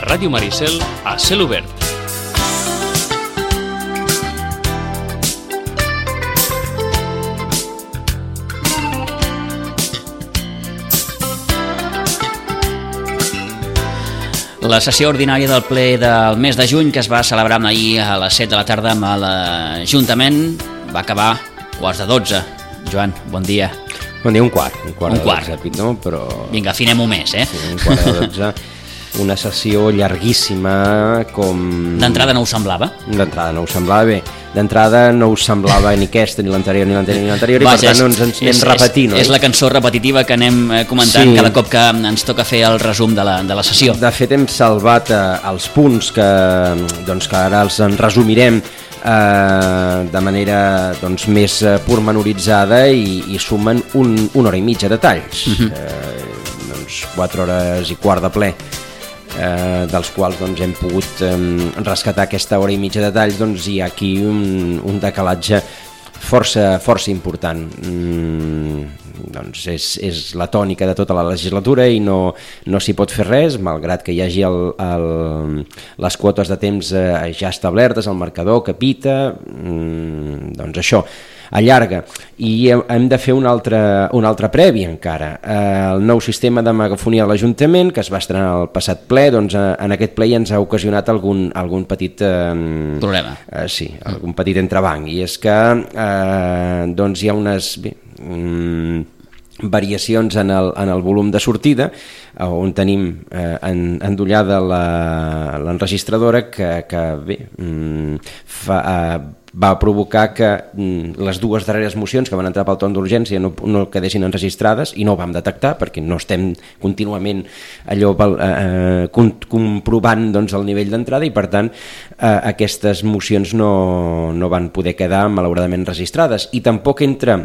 Ràdio Maricel a cel obert. La sessió ordinària del ple del mes de juny, que es va celebrar ahir a les 7 de la tarda amb l'Ajuntament, va acabar quarts de 12. Joan, bon dia. Bon dia, un quart Un de quart. 12, Pitó, però... Vinga, afinem-ho més, Sí, un quart de 12, una sessió llarguíssima, com... D'entrada no us semblava? D'entrada no us semblava bé. D'entrada no us semblava ni aquesta, ni l'anterior, ni l'anterior, i per tant no ens anem repetint. És la cançó repetitiva que anem comentant cada cop que ens toca fer el resum de la sessió. De fet, hem salvat els punts que ara els en resumirem de manera més pormenoritzada i sumen una hora i mitja de talls. 4 hores i quart de ple, dels quals hem pogut rescatar aquesta hora i mitja de talls. Hi ha aquí un decalatge força important. És la tònica de tota la legislatura i no s'hi pot fer res, malgrat que hi hagi les quotes de temps ja establertes, el marcador que pita, això allarga. I hem de fer una altra prèvia encara. El nou sistema de megafonia de l'Ajuntament, que es va estrenar el passat ple, en aquest ple ja ens ha ocasionat algun petit problema. Sí, algun petit entrebanc, i és que hi ha unes variacions en el volum de sortida, on tenim endollada l'enregistradora que va provocar que les dues darreres mocions que van entrar pel torn d'urgència no quedessin enregistrades, i no ho vam detectar perquè no estem contínuament comprovant el nivell d'entrada, i per tant aquestes mocions no van poder quedar malauradament registrades, i tampoc entra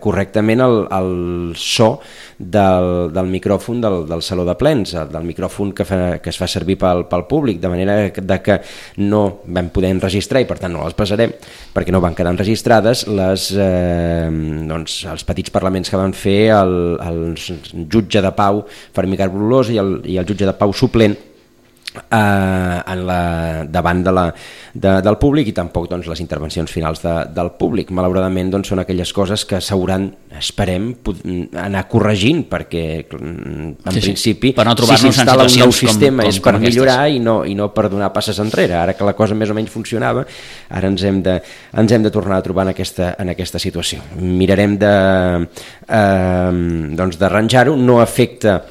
correctament el so del micròfon del saló de plens, del micròfon que es fa servir pel públic, de manera que no vam poder enregistrar, i per tant no les passarem perquè no van quedar enregistrades els petits parlaments que van fer el jutge de pau Fermí Carbolós i el jutge de pau suplent davant del públic, i tampoc les intervencions finals del públic. Malauradament són aquelles coses que s'hauran, esperem, anar corregint, perquè en principi si s'instal·la un nou sistema és per millorar i no per donar passes enrere. Ara que la cosa més o menys funcionava, ara ens hem de tornar a trobar en aquesta situació. Mirarem d'arranjar-ho. No afecta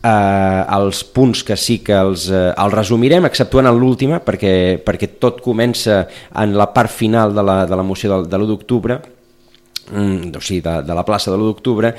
els punts que sí que els resumirem, exceptuant en l'última, perquè tot comença en la part final de la moció de l'1 d'octubre, o sigui, de la plaça de l'1 d'octubre,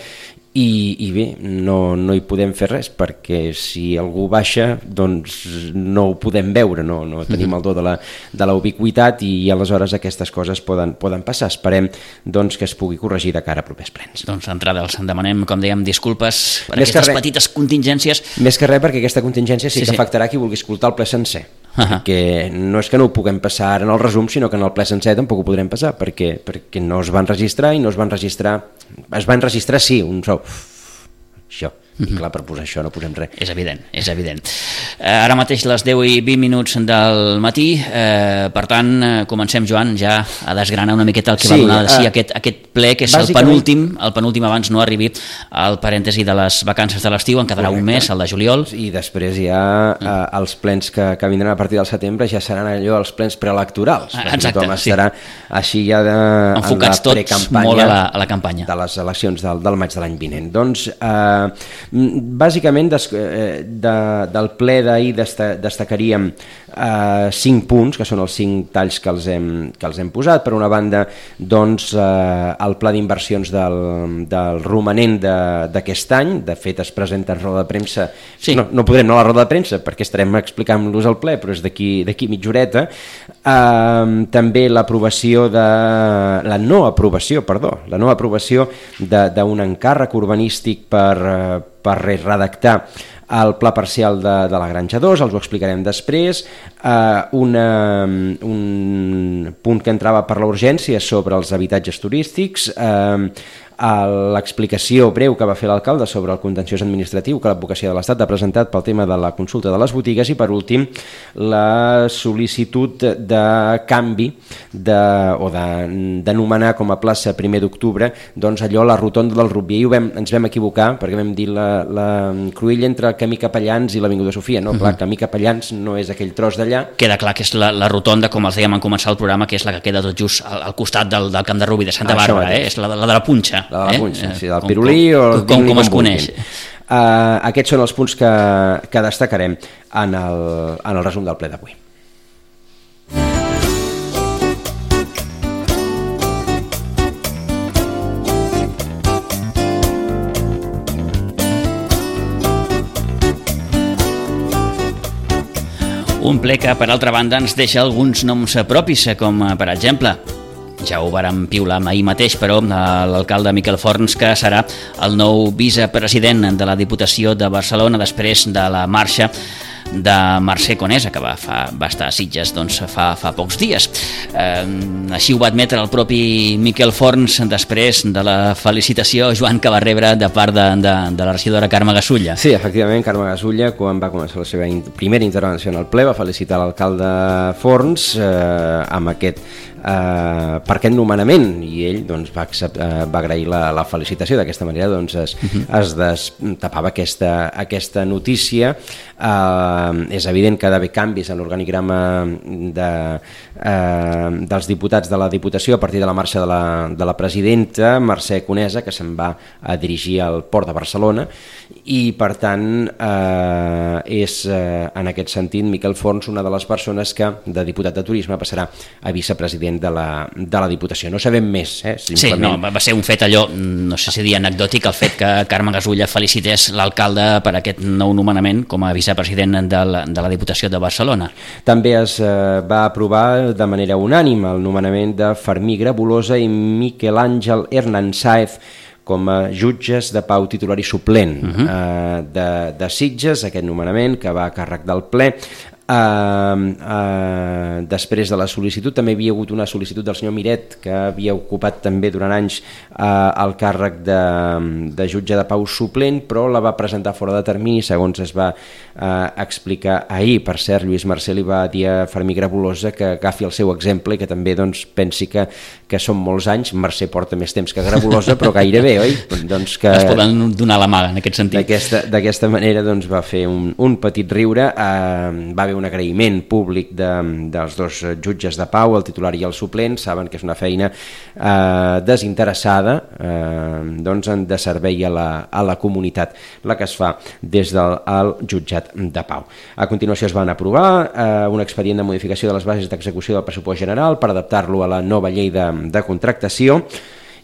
i bé, no hi podem fer res, perquè si algú baixa no ho podem veure, no tenim el do de la ubiquitat, i aleshores aquestes coses poden passar. Esperem que es pugui corregir de cara a propers plens. D'entrada els demanem, com dèiem, disculpes per aquestes petites contingències. Més que res perquè aquesta contingència sí que afectarà qui vulgui escoltar el ple sencer, perquè no és que no ho puguem passar ara en el resum, sinó que en el ple sencer tampoc ho podrem passar, perquè no es van registrar, i no es van registrar, sí, un sou, això. I clar, per posar això no posem res. És evident. Ara mateix les 10 i 20 minuts del matí, per tant, comencem, Joan, ja a desgranar una miqueta el que va donar de si aquest ple, que és el penúltim abans no arribi al parèntesi de les vacances de l'estiu. En quedarà un mes, el de juliol. I després ja els plens que vindran a partir del setembre ja seran allò, els plens preelectorals. Exacte, sí. Estarà així ja enfocats tots molt a la campanya de les eleccions del maig de l'any vinent. Bàsicament del ple d'ahir destacaríem 5 punts, que són els 5 talls que els hem posat. Per una banda, el pla d'inversions del romanent d'aquest any. De fet, es presenta en roda de premsa. No podrem anar a la roda de premsa perquè estarem explicant-los al ple, però és d'aquí mitja horeta. També la no aprovació d'un encàrrec urbanístic per redactar el pla parcial de la Granja 2, els ho explicarem després. Un punt que entrava per la urgència sobre els habitatges turístics, l'explicació breu que va fer l'alcalde sobre el contenciós administratiu que l'advocacia de l'Estat ha presentat pel tema de la consulta de les botigues, i per últim la sol·licitud de canvi o d'anomenar com a plaça 1 d'octubre doncs allò, la rotonda del Rutbier, i ens vam equivocar perquè vam dir la cruïlla entre el camí Capellans i l'Avinguda Sofia, no? Clar, camí Capellans no és aquell tros d'allà. Queda clar que és la rotonda, com els dèiem en començar el programa, que és la que queda tot just al costat del Camp de Rubí de Santa Bàrbara, és la de la punxa. La de la punxa, sí, del pirulí o el com es coneix. Aquests són els punts que destacarem en el resum del ple d'avui. Un ple que, per altra banda, ens deixa alguns noms propis, com per exemple, ja ho vàrem piular ahir mateix, però l'alcalde Miquel Forns, que serà el nou vicepresident de la Diputació de Barcelona després de la marxa de Mercè Conesa, que va estar a Sitges fa pocs dies. Així ho va admetre el propi Miquel Forns després de la felicitació, Joan, que va rebre de part de la regidora Carme Gasulla. Sí, efectivament, Carme Gasulla, quan va començar la seva primera intervenció en el ple, va felicitar l'alcalde Forns amb aquest nomenament, i ell doncs, va agrair la felicitació. D'aquesta manera doncs, es destapava aquesta notícia. És evident que ha d'haver canvis en l'organigrama dels diputats de la Diputació a partir de la marxa de la presidenta Mercè Conesa, que se'n va a dirigir al Port de Barcelona, i per tant és en aquest sentit Miquel Forns una de les persones que de diputat de turisme passarà a vicepresident de la Diputació. No sabem més. Sí, no, va ser un fet allò, no sé si dir anecdòtic, el fet que Carme Gasulla felicités l'alcalde per aquest nou nomenament com a vicepresident de la Diputació de Barcelona. També es va aprovar de manera unànime el nomenament de Fermí Grabolosa i Miquel Àngel Hernán Sáez com a jutges de pau titular i suplent de Sitges, aquest nomenament que va a càrrec del ple. Després de la sol·licitud també hi havia hagut una sol·licitud del senyor Miret, que havia ocupat també durant anys el càrrec de jutge de pau suplent, però la va presentar fora de termini, segons es va explicar ahir. Per cert, Lluís Mercè li va dir a Fermí Grabolosa que agafi el seu exemple i que també pensi que són molts anys. Mercè porta més temps que Grabolosa, però gairebé, oi? Es poden donar la mà en aquest sentit. D'aquesta manera va fer un petit riure. Va haver un agraïment públic dels dos jutges de pau, el titular i el suplent. Saben que és una feina desinteressada de servei a la comunitat, la que es fa des del jutjat de pau. A continuació es van aprovar un expedient de modificació de les bases d'execució del pressupost general per adaptar-lo a la nova llei de contractació.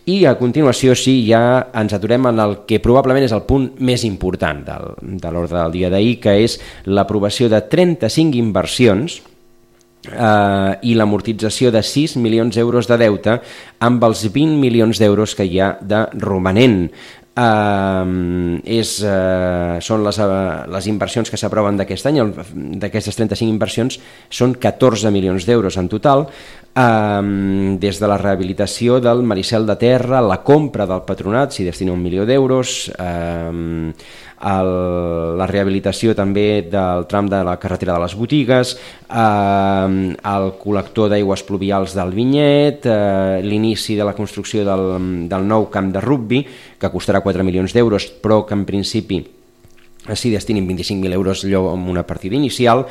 I a continuació ja ens aturem en el que probablement és el punt més important de l'ordre del dia d'ahir, que és l'aprovació de 35 inversions i l'amortització de 6 milions d'euros de deute amb els 20 milions d'euros que hi ha de romanent. Són les inversions que s'aproven d'aquest any. D'aquestes 35 inversions són 14 milions d'euros en total, des de la rehabilitació del Maricel de Terra, la compra del Patronat s'hi destina 1 milió d'euros, la rehabilitació també del tram de la carretera de les Botigues, el col·lector d'aigües pluvials del Vinyet, l'inici de la construcció del nou camp de rugbi, que costarà 4 milions d'euros, però que en principi s'hi destinin 25.000 euros amb una partida inicial,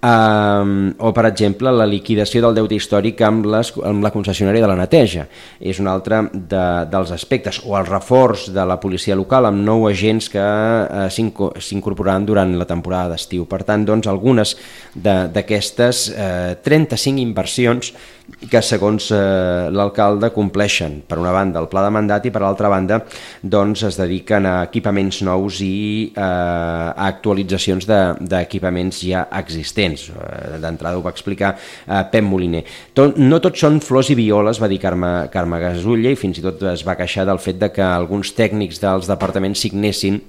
o per exemple la liquidació del deute històric amb la concessionària de la neteja és un altre dels aspectes, o el reforç de la policia local amb 9 agents que s'incorporaran durant la temporada d'estiu. Per tant, algunes d'aquestes 35 inversions que segons l'alcalde compleixen per una banda el pla de mandat i per l'altra banda es dediquen a equipaments nous i a actualitzacions d'equipaments ja existents. D'entrada ho va explicar Pep Moliner. No tot són flors i violes, va dir Carme Gasulla, i fins i tot es va queixar del fet que alguns tècnics dels departaments signessin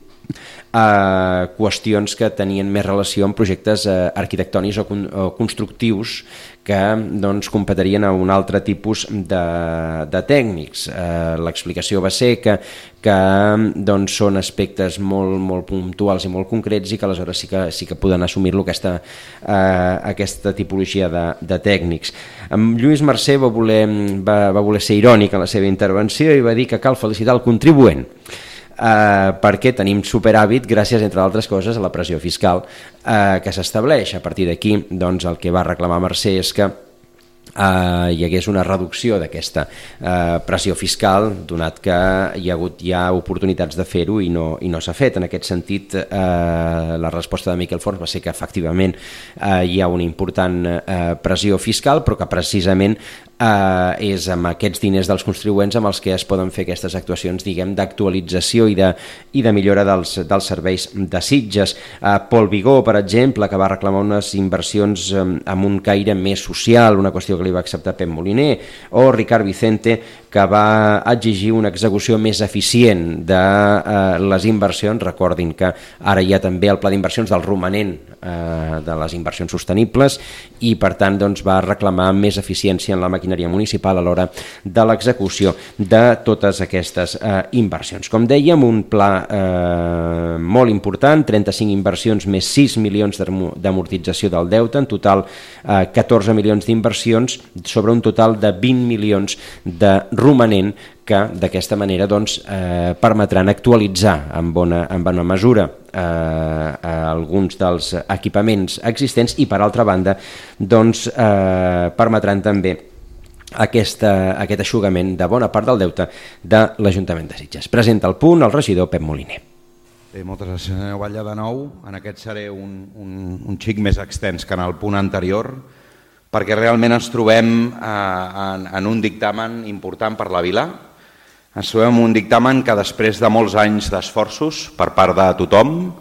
qüestions que tenien més relació amb projectes arquitectònics o constructius que doncs, competirien a un altre tipus de tècnics. L'explicació va ser que doncs, són aspectes molt puntuals i molt concrets i que aleshores sí que poden assumir-lo aquesta tipologia de tècnics. Lluís Mercè va voler ser irònic en la seva intervenció i va dir que cal felicitar el contribuent perquè tenim superàvit gràcies, entre altres coses, a la pressió fiscal que s'estableix. A partir d'aquí, doncs, el que va reclamar Mercè és que hi hagués una reducció d'aquesta pressió fiscal, donat que hi ha hagut ja oportunitats de fer-ho i no s'ha fet. En aquest sentit, la resposta de Miquel Forns va ser que efectivament hi ha una important pressió fiscal, però que precisament és amb aquests diners dels contribuents amb els que es poden fer aquestes actuacions, diguem, d'actualització i de millora dels serveis de Sitges. Pol Vigó, per exemple, que va reclamar unes inversions amb un caire més social, una qüestió que li va acceptar Pep Moliner, o Ricard Vicente, que va exigir una execució més eficient de les inversions. Recordin que ara hi ha també el pla d'inversions del romanent de les inversions sostenibles i per tant doncs, va reclamar més eficiència en la maquinària municipal a l'hora de l'execució de totes aquestes inversions. Com dèiem, un pla molt important, 35 inversions més 6 milions d'amortització del deute, en total 14 milions d'inversions sobre un total de 20 milions de romanent que d'aquesta manera doncs, permetran actualitzar en bona mesura alguns dels equipaments existents i per altra banda doncs, permetran també aquest eixugament de bona part del deute de l'Ajuntament de Sitges. Presenta el punt el regidor Pep Moliner. Moltes gràcies, senyor Batlle, de nou. En aquest seré un xic més extens que en el punt anterior, perquè realment ens trobem en un dictamen important per la vila. Ens trobem en un dictamen que després de molts anys d'esforços per part de tothom,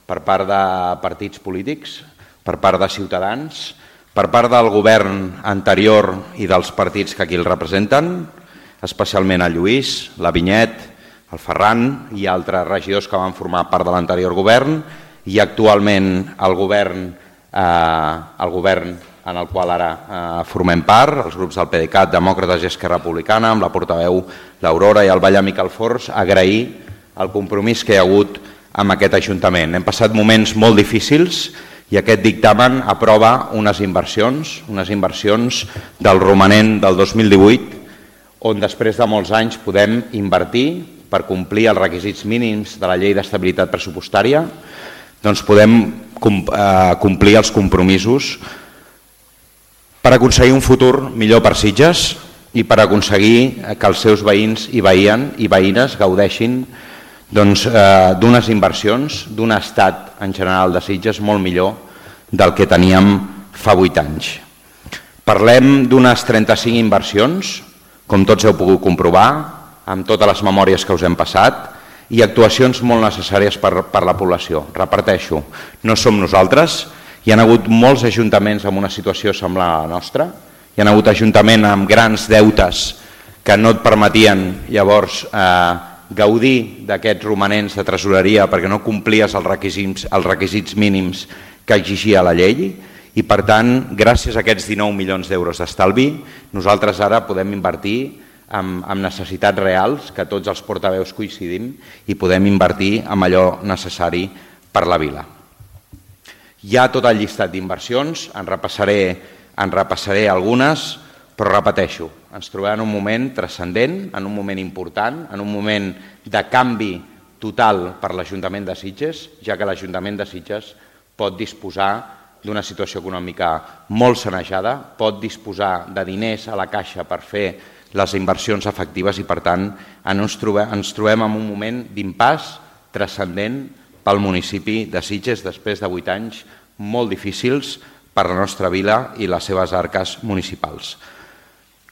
per part de partits polítics, per part de ciutadans, per part del govern anterior i dels partits que aquí el representen, especialment el Lluís, la Vinyet, el Ferran i altres regidors que van formar part de l'anterior govern i actualment el govern en el qual ara formem part, els grups del PDeCAT, Demòcrates i Esquerra Republicana, amb la portaveu l'Aurora i el Batlle Miquel Forns, agrair el compromís que hi ha hagut amb aquest Ajuntament. Hem passat moments molt difícils i aquest dictamen aprova unes inversions del romanent del 2018, on després de molts anys podem invertir per complir els requisits mínims de la Llei d'Estabilitat Pressupostària, doncs podem complir els compromisos per aconseguir un futur millor per Sitges i per aconseguir que els seus veïns i veïnes gaudeixin d'unes inversions, d'un estat en general de Sitges molt millor del que teníem fa 8 anys. Parlem d'unes 35 inversions, com tots heu pogut comprovar, amb totes les memòries que us hem passat, i actuacions molt necessàries per la població. Repeteixo, no som nosaltres. Hi ha hagut molts ajuntaments en una situació semblant a la nostra, hi ha hagut ajuntaments amb grans deutes que no et permetien llavors gaudir d'aquests romanents de tresoreria perquè no complies els requisits mínims que exigia la llei i per tant, gràcies a aquests 19 milions d'euros d'estalvi, nosaltres ara podem invertir amb necessitats reals, que tots els portaveus coincidim, i podem invertir amb allò necessari per la vila. Hi ha tot el llistat d'inversions, en repassaré algunes, però repeteixo, ens trobem en un moment transcendent, en un moment important, en un moment de canvi total per l'Ajuntament de Sitges, ja que l'Ajuntament de Sitges pot disposar d'una situació econòmica molt sanejada, pot disposar de diners a la caixa per fer les inversions efectives i, per tant, ens trobem en un moment d'impàs transcendent pel municipi de Sitges després de 8 anys molt difícils per la nostra vila i les seves arques municipals.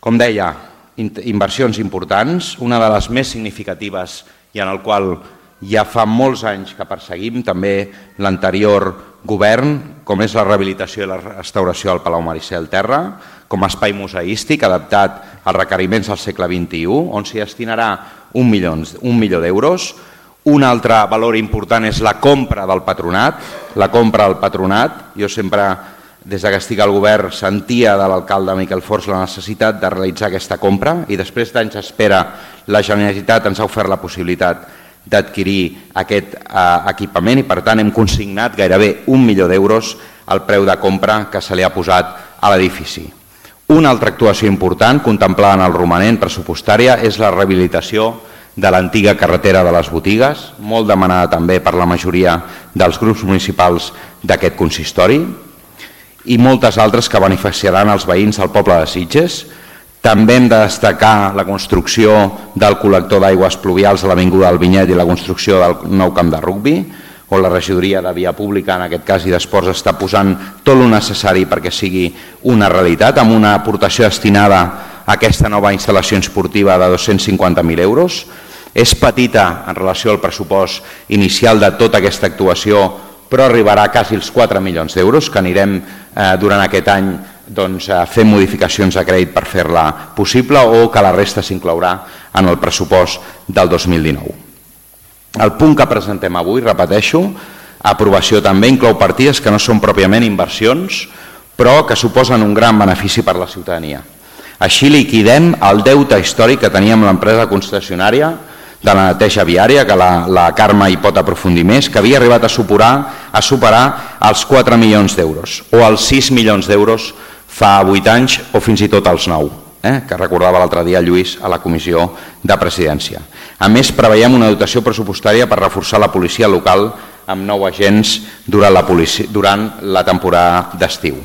Com deia, inversions importants, una de les més significatives i en el qual ja fa molts anys que perseguim també l'anterior govern, com és la rehabilitació i la restauració del Palau Maricel Terra, com a espai museístic adaptat als requeriments del segle XXI, on s'hi destinarà 1 milió d'euros, Un altre valor important és la compra del patronat. La compra del patronat. Jo sempre, des que estic al govern, sentia de l'alcalde Miquel Forns la necessitat de realitzar aquesta compra i després d'anys d'espera la Generalitat ens ha ofert la possibilitat d'adquirir aquest equipament i per tant hem consignat gairebé 1 milió d'euros al preu de compra que se li ha posat a l'edifici. Una altra actuació important contemplada en el romanent pressupostària és la rehabilitació de l'antiga carretera de les Botigues, molt demanada també per la majoria dels grups municipals d'aquest consistori, i moltes altres que beneficiaran els veïns del poble de Sitges. També hem de destacar la construcció del col·lector d'aigües pluvials a l'Avinguda del Vinyet i la construcció del nou camp de rugbi, on la regidoria de Via Pública, en aquest cas, i d'Esports, està posant tot el necessari perquè sigui una realitat, amb una aportació destinada a aquesta nova instal·lació esportiva de 250.000 euros. És petita en relació al pressupost inicial de tota aquesta actuació, però arribarà a quasi els 4 milions d'euros, que anirem durant aquest any fent modificacions de crèdit per fer-la possible o que la resta s'inclourà en el pressupost del 2019. El punt que presentem avui, repeteixo, aprovació també, inclou partides que no són pròpiament inversions, però que suposen un gran benefici per a la ciutadania. Així liquidem el deute històric que teníem amb l'empresa concessionària de la neteja viària, que la Carme hi pot aprofundir més, que havia arribat a superar els 4 milions d'euros, o els 6 milions d'euros fa 8 anys, o fins i tot els 9, que recordava l'altre dia Lluís a la comissió de presidència. A més, preveiem una dotació pressupostària per reforçar la policia local amb 9 agents durant la temporada d'estiu.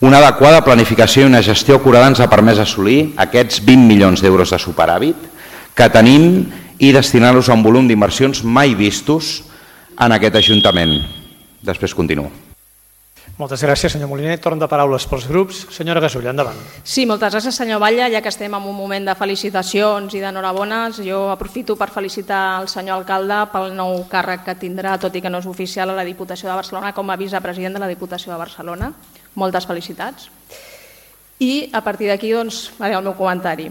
Una adequada planificació i una gestió acurada ens ha permès assolir aquests 20 milions d'euros de superàvit que tenim i destinar-los a un volum d'inversions mai vistos en aquest Ajuntament. Després continuo. Moltes gràcies, senyor Moliner. Torn de paraules pels grups. Senyora Gasull, endavant. Sí, moltes gràcies, senyor Batlle. Ja que estem en un moment de felicitacions i d'enhorabones, jo aprofito per felicitar el senyor alcalde pel nou càrrec que tindrà, tot i que no és oficial, a la Diputació de Barcelona com a vicepresident de la Diputació de Barcelona. Moltes felicitats. I a partir d'aquí, doncs, faré el meu comentari.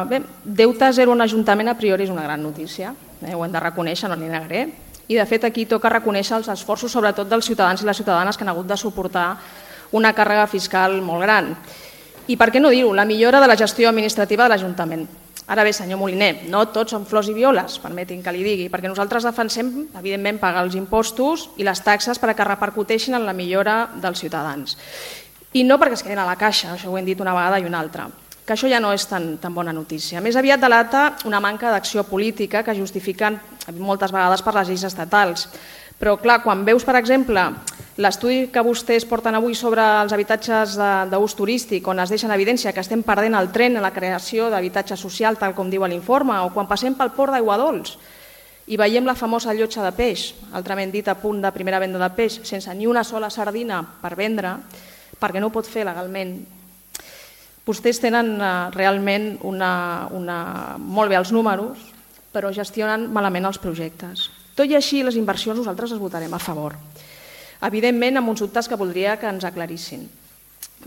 Bé, deute zero en Ajuntament a priori és una gran notícia, ho hem de reconèixer, no n'hi negaré. I de fet aquí toca reconèixer els esforços sobretot dels ciutadans i les ciutadanes que han hagut de suportar una càrrega fiscal molt gran. I per què no dir-ho? La millora de la gestió administrativa de l'Ajuntament. Ara bé, senyor Moliner, no tots són flors i violes, permetin que li digui, perquè nosaltres defensem, evidentment, pagar els impostos i les taxes perquè repercuteixin en la millora dels ciutadans. I no perquè es quedin a la caixa, això ho hem dit una vegada i una altra, que això ja no és tan bona notícia. Més aviat delata una manca d'acció política que justifiquen moltes vegades per les lleis estatals. Però clar, quan veus, per exemple, l'estudi que vostès porten avui sobre els habitatges d'ús turístic, on es deixa en evidència que estem perdent el tren en la creació d'habitatge social, tal com diu l'informe, o quan passem pel port d'Aiguadols i veiem la famosa llotja de peix, altrament dit a punt de primera venda de peix, sense ni una sola sardina per vendre, perquè no ho pot fer legalment. Vostès tenen realment molt bé els números, però gestionen malament els projectes. Tot i així, les inversions nosaltres les votarem a favor. Evidentment, amb uns dubtes que voldria que ens aclarissin.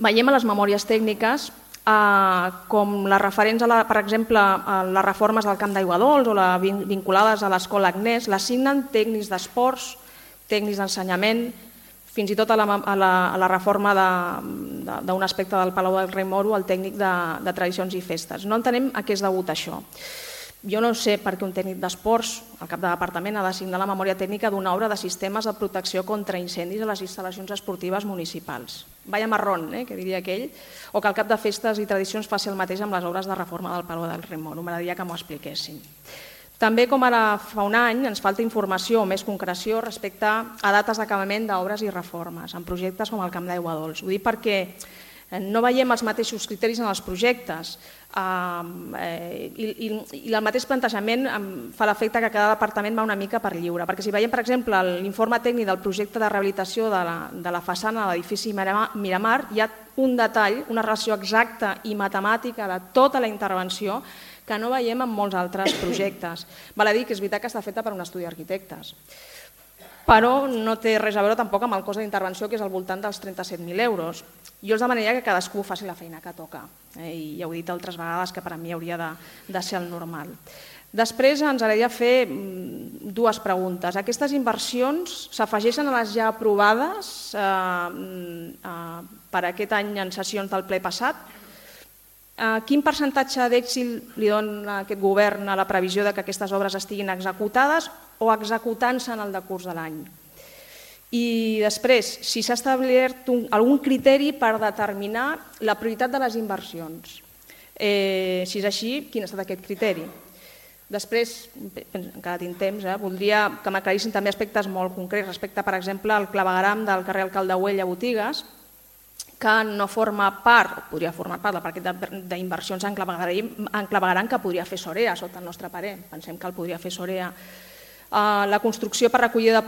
Veiem a les memòries tècniques com les referents, per exemple, a les reformes del Camp d'Aiguadols o vinculades a l'Escola Agnès, les signen tècnics d'esports, tècnics d'ensenyament, fins i tot a la reforma d'un aspecte del Palau del Rei Moro, el tècnic de tradicions i festes. No entenem a què és degut això. Jo no sé per què un tècnic d'esports, al cap de departament, ha de signar la memòria tècnica d'una obra de sistemes de protecció contra incendis a les instal·lacions esportives municipals. Vaya marrón, que diria aquell, o que al cap de festes i tradicions faci el mateix amb les obres de reforma del Palau del Rei Moro. M'agradaria que m'ho expliquessin. També, com ara fa un any, ens falta informació o més concreció respecte a dates d'acabament d'obres i reformes en projectes com el Camp d'Aiguadols. Ho dic perquè no veiem els mateixos criteris en els projectes i el mateix plantejament fa l'efecte que cada departament va una mica per lliure. Perquè si veiem, per exemple, l'informe tècnic del projecte de rehabilitació de la façana de l'edifici Miramar, hi ha un detall, una relació exacta i matemàtica de tota la intervenció que no veiem en molts altres projectes. Val a dir que és veritat que està feta per un estudi d'arquitectes, però no té res a veure tampoc amb el cost d'intervenció, que és al voltant dels 37.000 euros. Jo els demanaria que cadascú faci la feina que toca, i ja ho he dit altres vegades que per a mi hauria de ser el normal. Després ens agradaria fer dues preguntes. Aquestes inversions s'afegeixen a les ja aprovades per aquest any en sessions del ple passat. Quin percentatge d'èxit li dona aquest govern a la previsió de que aquestes obres estiguin executades o executant-se en el decurs de l'any? I després, si s'ha establert algun criteri per determinar la prioritat de les inversions. Si és així, quin ha estat aquest criteri? Després, encara tinc temps, voldria que m'aclarissin també aspectes molt concrets respecte, per exemple, al clavegueram del carrer Alcalde Güell a Botigues, que no forma part, podria formar part del paquet d'inversions en clavegueram que podria fer Sorea, sota el nostre parer. Pensem que el podria fer Sorea. La construcció per recollida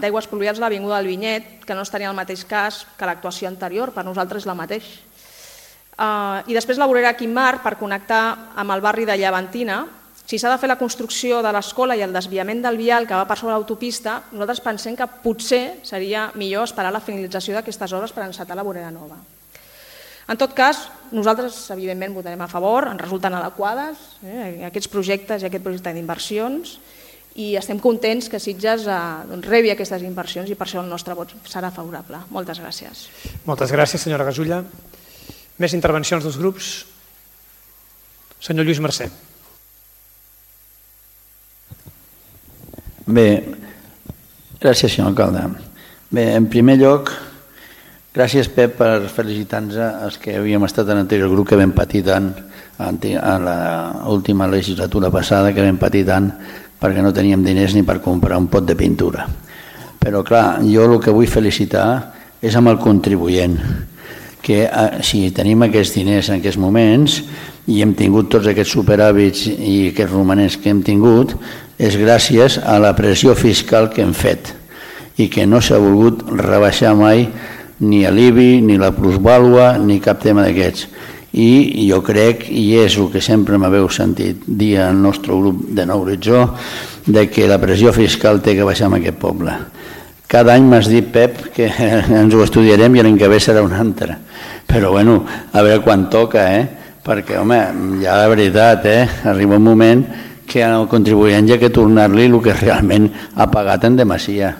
d'aigües pluvials a l'Avinguda del Vinyet, que no estaria en el mateix cas que l'actuació anterior, per nosaltres és la mateixa. I després la vorera Quimar per connectar amb el barri de Llevantina. Si s'ha de fer la construcció de l'escola i el desviament del vial que va per sobre l'autopista, nosaltres pensem que potser seria millor esperar la finalització d'aquestes obres per encetar la vorera nova. En tot cas, nosaltres evidentment votarem a favor, ens resulten adequades aquests projectes i aquest projecte d'inversions i estem contents que Sitges rebi aquestes inversions i per això el nostre vot serà favorable. Moltes gràcies. Moltes gràcies, senyora Gasulla. Més intervencions dels grups? Senyor Lluís Mercè. Bé, gràcies, senyor alcalde. Bé, en primer lloc, gràcies, Pep, per felicitar-nos els que havíem estat en l'anterior grup, que vam patir tant a l'última legislatura passada, que vam patir tant perquè no teníem diners ni per comprar un pot de pintura. Però, clar, jo el que vull felicitar és amb el contribuent, que si tenim aquests diners en aquests moments i hem tingut tots aquests superàvits i aquests romanents que hem tingut, és gràcies a la pressió fiscal que hem fet i que no s'ha volgut rebaixar mai ni l'IBI, ni la plusvàlua, ni cap tema d'aquests. I jo crec, i és el que sempre m'haveu sentit dir al nostre grup de Nou Horitzó, de que la pressió fiscal té que baixar en aquest poble. Cada any m'has dit, Pep, que ens ho estudiarem i l'any que ve serà un altre. Però, bueno, a veure quan toca, perquè, home, ja la veritat, arriba un moment que al contribuent hi ha que tornar-li el que realment ha pagat en demasia.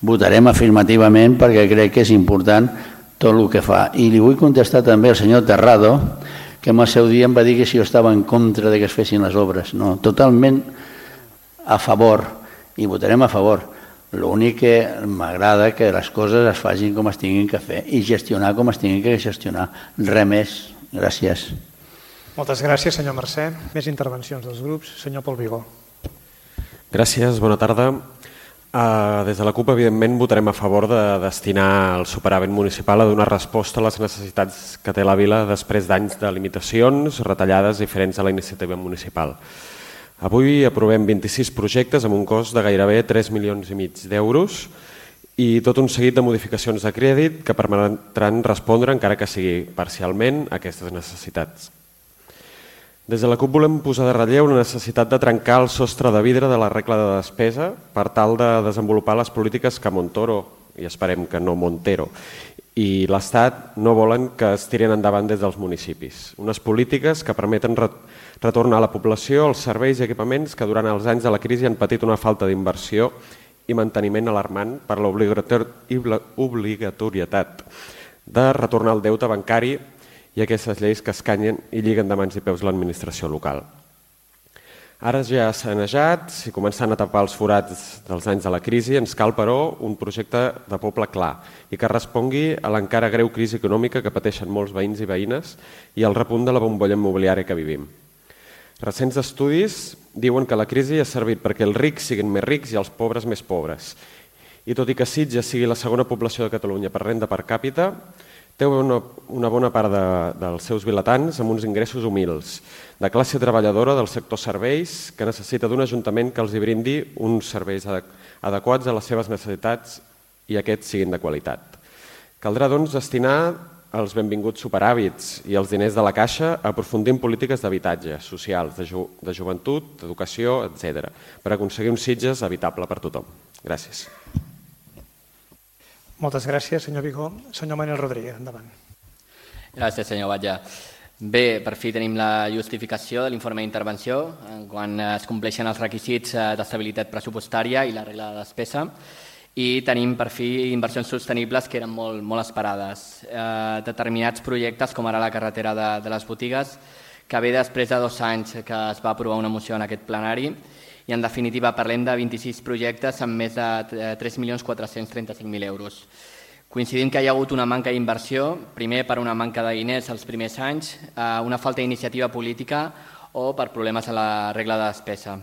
Votarem afirmativament perquè crec que és important tot el que fa. I li vull contestar també al senyor Terrado, que en el seu dia em va dir que si jo estava en contra de que es fessin les obres. No, totalment a favor, i votarem a favor. L'únic que m'agrada que les coses es facin com es tinguin que fer i gestionar com es tinguin que gestionar. Res més. Gràcies. Moltes gràcies, senyor Mercè. Més intervencions dels grups. Senyor Pol Vigó. Gràcies, bona tarda. Des de la CUP, evidentment, votarem a favor de destinar el superàvit municipal a donar resposta a les necessitats que té la vila després d'anys de limitacions, retallades diferents a la iniciativa municipal. Avui aprovem 26 projectes amb un cost de gairebé 3,5 milions d'euros i tot un seguit de modificacions de crèdit que permetran respondre, encara que sigui parcialment, a aquestes necessitats. Des de la CUP volem posar de relleu la necessitat de trencar el sostre de vidre de la regla de despesa per tal de desenvolupar les polítiques que Montoro, i esperem que no Montero, i l'Estat no volen que es tirin endavant des dels municipis. Unes polítiques que permeten retornar a la població els serveis i equipaments que durant els anys de la crisi han patit una falta d'inversió i manteniment alarmant per l'obligatorietat de retornar el deute bancari i aquestes lleis que escanyen i lliguen de mans i peus l'administració local. Ara ja s'ha sanejat i començant a tapar els forats dels anys de la crisi, ens cal, però, un projecte de poble clar i que respongui a l'encara greu crisi econòmica que pateixen molts veïns i veïnes i al repunt de la bombolla immobiliària que vivim. Recents estudis diuen que la crisi ha servit perquè els rics siguin més rics i els pobres més pobres. I tot i que Sitges sigui la segona població de Catalunya per renda per càpita, té una bona part dels seus vilatans amb uns ingressos humils, de classe treballadora del sector serveis, que necessita d'un ajuntament que els hi brindi uns serveis adequats a les seves necessitats i aquests siguin de qualitat. Caldrà, doncs, destinar els benvinguts superàvits i els diners de la Caixa a aprofundir en polítiques d'habitatge, socials, de joventut, d'educació, etc., per aconseguir un Sitges habitable per tothom. Gràcies. Moltes gràcies, senyor Vigó. Senyor Manuel Rodríguez, endavant. Gracias, señor Valla. Bé, per fi tenim la justificació de l'informe d'intervenció quan es compleixen els requisits d'estabilitat pressupostària i la regla de despesa i tenim per fi inversions sostenibles que eren molt esperades. Determinats projectes, com ara la carretera de les botigues, que ve després de 2 anys que es va aprovar una moció en aquest plenari i en definitiva parlem de 26 projectes amb més de 3.435.000 euros. Coincidim que hi ha hagut una manca d'inversió, primer per una manca de diners els primers anys, una falta d'iniciativa política o per problemes a la regla de despesa.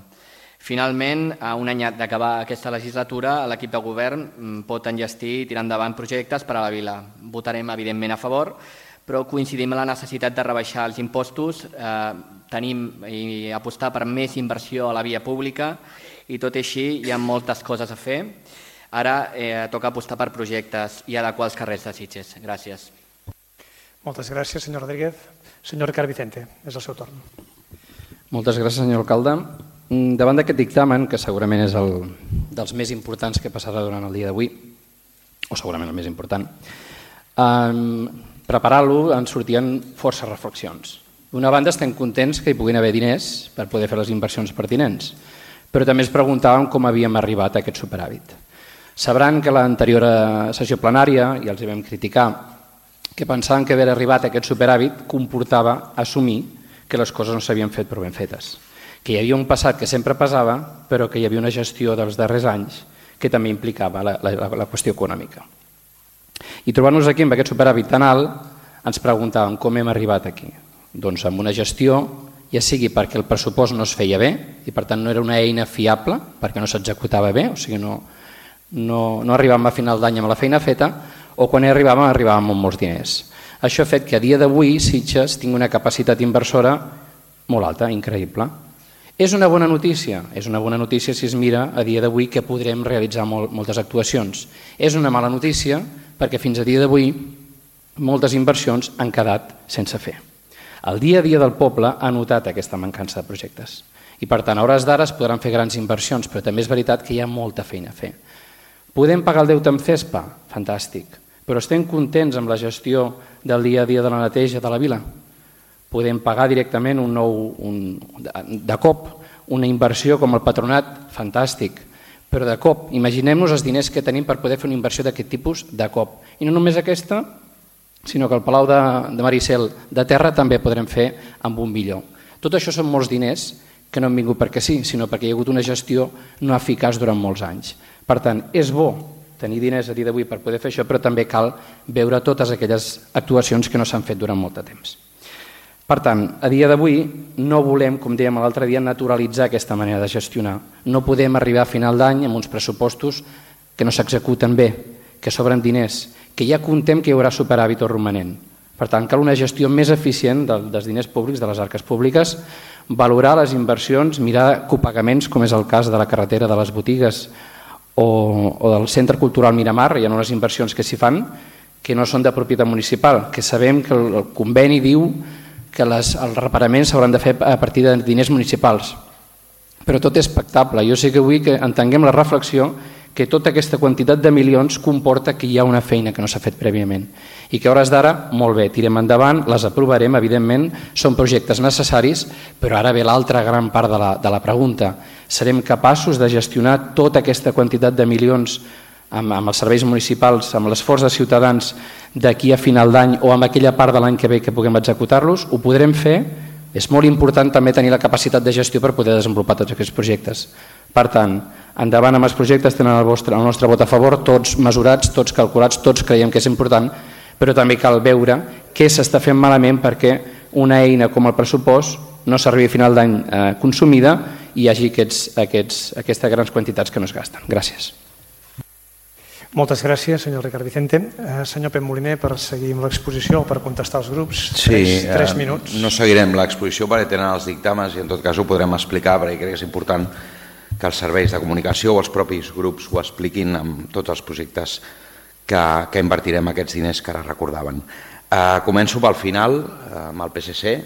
Finalment, a un any d'acabar aquesta legislatura, l'equip de govern pot enllestir i tirar endavant projectes per a la vila. Votarem, evidentment, a favor, però coincidim en la necessitat de rebaixar els impostos, i apostar per més inversió a la via pública i tot i així hi ha moltes coses a fer. Ara toca apostar per projectes i adequar els carrers de Sitges. Gràcies. Moltes gràcies, senyor Rodríguez. Senyor Ricard Vicente, és el seu torn. Moltes gràcies, senyor alcalde. Davant d'aquest dictamen, que segurament és dels més importants que passarà durant el dia d'avui, o segurament el més important, preparant-lo ens sortien força reflexions. D'una banda estem contents que hi puguin haver diners per poder fer les inversions pertinents, però també ens preguntàvem com havíem arribat a aquest superàvit. Sabran que a l'anterior sessió plenària, i els hi vam criticar, que pensaven que haver arribat a aquest superàvit comportava assumir que les coses no s'havien fet prou ben fetes, que hi havia un passat que sempre passava, però que hi havia una gestió dels darrers anys que també implicava la qüestió econòmica. I trobant-nos aquí amb aquest superàvit tan alt, ens preguntàvem com hem arribat aquí. Doncs amb una gestió, ja sigui perquè el pressupost no es feia bé i per tant no era una eina fiable perquè no s'executava bé, o sigui no arribàvem a final d'any amb la feina feta, o quan arribàvem amb molts diners. Això ha fet que a dia d'avui Sitges tingui una capacitat inversora molt alta, increïble. És una bona notícia? És una bona notícia si es mira a dia d'avui que podrem realitzar moltes actuacions. És una mala notícia perquè fins a dia d'avui moltes inversions han quedat sense fer. El dia a dia del poble ha notat aquesta mancança de projectes i per tant a hores d'ara es podran fer grans inversions, però també és veritat que hi ha molta feina a fer. Podem pagar el deute amb CESPA? Fantàstic. Però estem contents amb la gestió del dia a dia de la neteja de la vila? Podem pagar directament de cop una inversió com el patronat? Fantàstic. Però de cop, imaginem-nos els diners que tenim per poder fer una inversió d'aquest tipus de cop. I no només aquesta, sinó que el Palau de Maricel de terra també podrem fer amb un millor. Tot això són molts diners que no han vingut perquè sí, sinó perquè hi ha hagut una gestió no eficaç durant molts anys. Per tant, és bo tenir diners a dia d'avui per poder fer això, però també cal veure totes aquelles actuacions que no s'han fet durant molt de temps. Per tant, a dia d'avui no volem, com dèiem l'altre dia, naturalitzar aquesta manera de gestionar. No podem arribar a final d'any amb uns pressupostos que no s'executen bé, que sobren diners, que ja contem que hi haurà superàvit o romanent. Per tant, cal una gestió més eficient dels diners públics, de les arques públiques, valorar les inversions, mirar copagaments, com és el cas de la carretera de les botigues o del Centre Cultural Miramar. Hi ha unes inversions que s'hi fan que no són de propietat municipal, que sabem que el conveni diu que els reparaments s'hauran de fer a partir de diners municipals. Però tot és pactable. Jo sé que vull que entenguem la reflexió que tota aquesta quantitat de milions comporta que hi ha una feina que no s'ha fet prèviament i que a hores d'ara, molt bé, tirem endavant, les aprovarem, evidentment, són projectes necessaris, però ara ve l'altra gran part de la pregunta. Serem capaços de gestionar tota aquesta quantitat de milions amb els serveis municipals, amb l'esforç de ciutadans d'aquí a final d'any o amb aquella part de l'any que ve que puguem executar-los? Ho podrem fer? És molt important també tenir la capacitat de gestió per poder desenvolupar tots aquests projectes. Per tant, endavant amb els projectes, tenen el nostre vot a favor, tots mesurats, tots calculats, tots creiem que és important, però també cal veure què s'està fent malament perquè una eina com el pressupost no s'arribi a final d'any consumida i hi hagi aquestes grans quantitats que no es gasten. Gràcies. Moltes gràcies, senyor Ricard Vicente. Senyor Pep Moliner, per seguir amb l'exposició o per contestar als grups, 3 minuts. No seguirem l'exposició perquè tenen els dictàmens i en tot cas ho podrem explicar perquè crec que és important que els serveis de comunicació o els propis grups ho expliquin amb tots els projectes que invertirem aquests diners que ara recordaven. Començo pel final amb el PSC.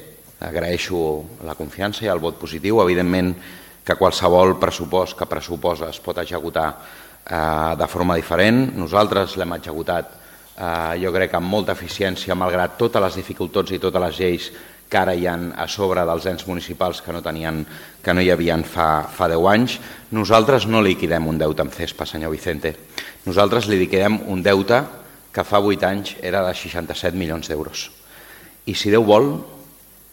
Agraeixo la confiança i el vot positiu. Evidentment que qualsevol pressupost que pressuposa es pot executar de forma diferent. Nosaltres l'hem executat jo crec amb molta eficiència malgrat totes les dificultats i totes les lleis que ara hi ha a sobre dels ens municipals que no hi havien fa 10 anys. Nosaltres no liquidem un deute amb CESPA, senyor Vicente. Nosaltres li liquidem un deute que fa 8 anys era de 67 milions d'euros. I si Déu vol,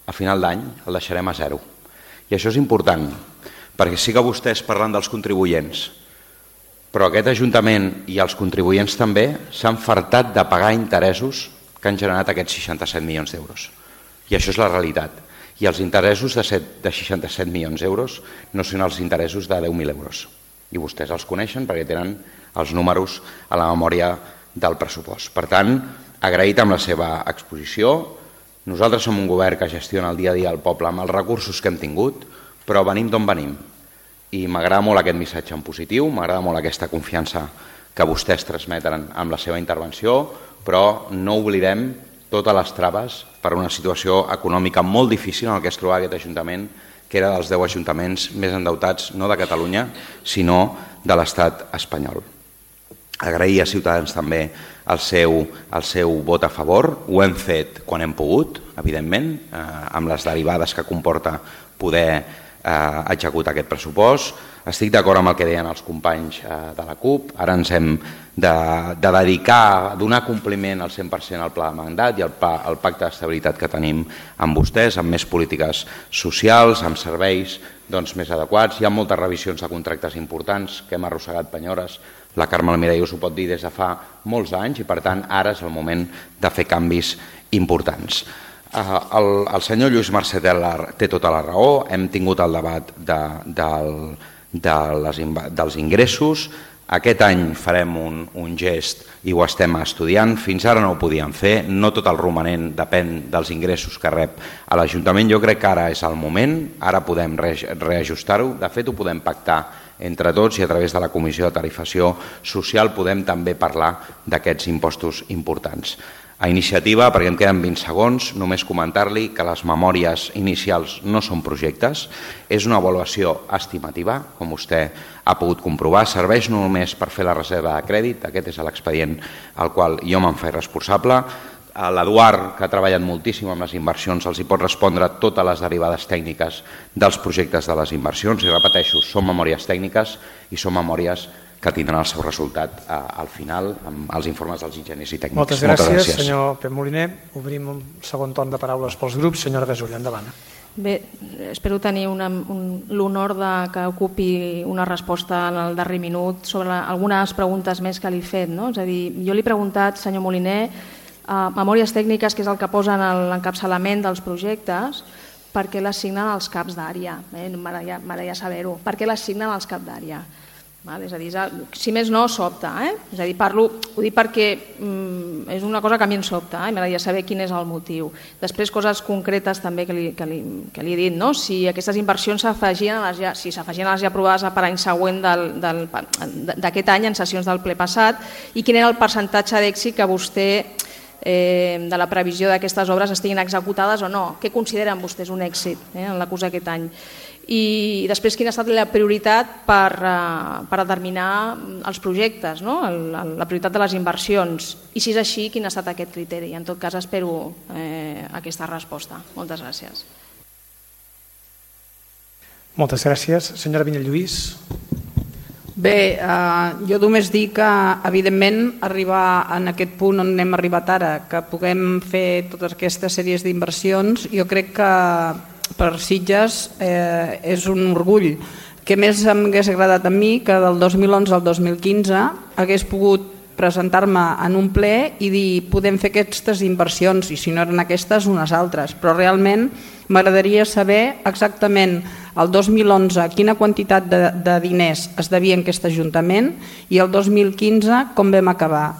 a final d'any el deixarem a zero. I això és important, perquè sí que vostès parlen dels contribuents, però aquest Ajuntament i els contribuents també s'han fartat de pagar interessos que han generat aquests 67 milions d'euros. I això és la realitat. I els interessos de 67 milions d'euros no són els interessos de 10.000 euros. I vostès els coneixen perquè tenen els números a la memòria del pressupost. Per tant, agraït amb la seva exposició. Nosaltres som un govern que gestiona el dia a dia el poble amb els recursos que hem tingut, però venim d'on venim. I m'agrada molt aquest missatge en positiu, m'agrada molt aquesta confiança que vostès transmeten amb la seva intervenció, però no oblidem totes les traves per una situació econòmica molt difícil en què es trobava aquest Ajuntament, que era dels 10 ajuntaments més endeutats, no de Catalunya, sinó de l'Estat espanyol. Agrair a Ciutadans també el seu vot a favor. Ho hem fet quan hem pogut, evidentment, amb les derivades que comporta poder executar aquest pressupost. Estic d'acord amb el que deien els companys de la CUP. Ara ens hem de dedicar a donar compliment al 100% al pla de mandat i al pacte d'estabilitat que tenim amb vostès, amb més polítiques socials, amb serveis més adequats. Hi ha moltes revisions de contractes importants que hem arrossegat penyores. La Carme Almirall us ho pot dir des de fa molts anys i, per tant, ara és el moment de fer canvis importants. El senyor Lluís Mercè té tota la raó. Hem tingut el debat dels ingressos. Aquest any farem un gest i ho estem estudiant. Fins ara no ho podíem fer. No tot el romanent depèn dels ingressos que rep a l'Ajuntament. Jo crec que ara és el moment. Ara podem reajustar-ho. De fet, ho podem pactar entre tots i a través de la Comissió de Tarifació Social podem també parlar d'aquests impostos importants. A Iniciativa, perquè em queden 20 segons, només comentar-li que les memòries inicials no són projectes, és una avaluació estimativa, com vostè ha pogut comprovar, serveix només per fer la reserva de crèdit, aquest és l'expedient al qual jo me'n faig responsable. L'Eduard, que ha treballat moltíssim amb les inversions, els hi pot respondre totes les derivades tècniques dels projectes de les inversions, i repeteixo, són memòries tècniques i són memòries que tindran el seu resultat al final amb els informes dels enginyers i tècnics. Moltes gràcies, senyor Pep Moliner. Obrim un segon torn de paraules pels grups. Senyora Gasull, endavant. Bé, espero tenir l'honor que ocupi una resposta en el darrer minut sobre algunes preguntes més que li he fet. És a dir, jo li he preguntat, senyor Moliner, memòries tècniques, que és el que posen en l'encapçalament dels projectes, per què les signen els caps d'àrea? M'agradaria saber-ho. Per què les signen els caps d'àrea? És a dir, si més no, sobta. És a dir, ho dic perquè és una cosa que a mi em sobta i m'agradaria saber quin és el motiu. Després, coses concretes també que li he dit, si aquestes inversions s'afegien a les ja aprovades per any següent d'aquest any en sessions del ple passat, i quin era el percentatge d'èxit que vostè de la previsió d'aquestes obres estiguin executades o no. Què consideren vostès un èxit en la curs d'aquest any? I després, quina ha estat la prioritat per determinar els projectes, la prioritat de les inversions, i si és així, quin ha estat aquest criteri? En tot cas, espero aquesta resposta. Moltes gràcies. Moltes gràcies. Senyora Vinyalluís. Bé, jo només dic que, evidentment, arribar en aquest punt on hem arribat ara, que puguem fer totes aquestes sèries d'inversions, jo crec que per Sitges és un orgull. Què més m'hagués agradat a mi que del 2011 al 2015 hagués pogut presentar-me en un ple i dir podem fer aquestes inversions, i si no eren aquestes, unes altres. Però realment m'agradaria saber exactament el 2011 quina quantitat de diners es devia en aquest Ajuntament i el 2015 com vam acabar.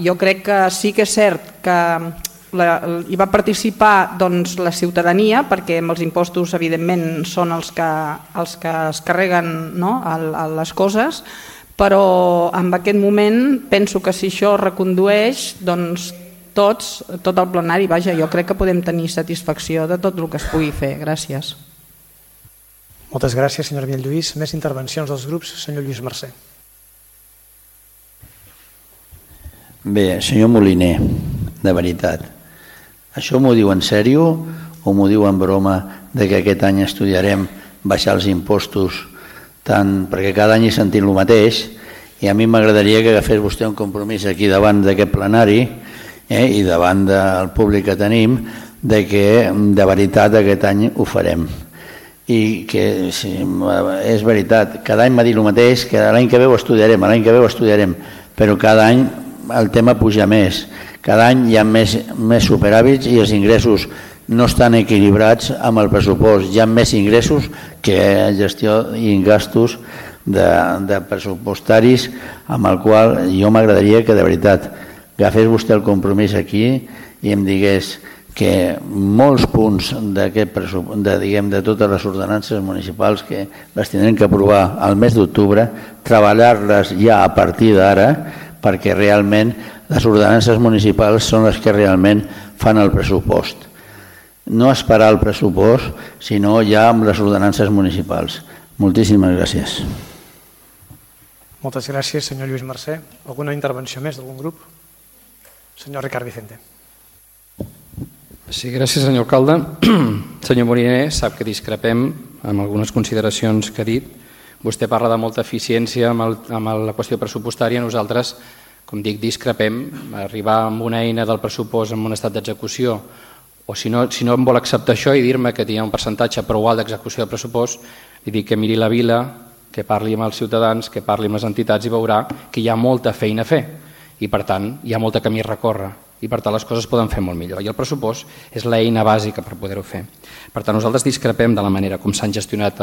Jo crec que sí que és cert que hi va participar la ciutadania, perquè amb els impostos evidentment són els que es carreguen les coses, però en aquest moment penso que si això recondueix, tot el plenari, jo crec que podem tenir satisfacció de tot el que es pugui fer. Gràcies. Moltes gràcies, senyora Vinyalluís. Més intervencions dels grups. Senyor Lluís Mercè. Bé, senyor Moliner, de veritat, Això m'ho diu en sèrio o m'ho diu en broma de que aquest any estudiarem baixar els impostos tant, perquè cada any he sentit el mateix, i a mi m'agradaria que agafés vostè un compromís aquí davant d'aquest plenari i davant del públic que tenim, de que de veritat aquest any ho farem. I que sí, és veritat, cada any m'ha dit el mateix, que l'any que ve ho estudiarem, però cada any el tema puja més, cada any hi ha més superàvits i els ingressos no estan equilibrats amb el pressupost, hi ha més ingressos que gestió i gastos de pressupostaris, amb el qual jo m'agradaria que de veritat agafés vostè el compromís aquí i em digués que molts punts de totes les ordenances municipals que les tindrem que aprovar al mes d'octubre, treballar-les ja a partir d'ara, perquè realment les ordenances municipals són les que realment fan el pressupost. No esperar el pressupost, sinó ja amb les ordenances municipals. Moltíssimes gràcies. Moltes gràcies, senyor Lluís Mercè. Alguna intervenció més d'algun grup? Senyor Ricard Vicente. Sí, gràcies, senyor alcalde. Senyor Moliner, sap que discrepem amb algunes consideracions que ha dit. Vostè parla de molta eficiència amb la qüestió pressupostària. Nosaltres, com dic, discrepem. Arribar amb una eina del pressupost en un estat d'execució, o si no em vol acceptar això i dir-me que hi ha un percentatge prou alt d'execució del pressupost, li dic que miri la vila, que parli amb els ciutadans, que parli amb les entitats i veurà que hi ha molta feina a fer i, per tant, hi ha molt camí a recórrer i, per tant, les coses poden fer molt millor. I el pressupost és l'eina bàsica per poder-ho fer. Per tant, nosaltres discrepem de la manera com s'han gestionat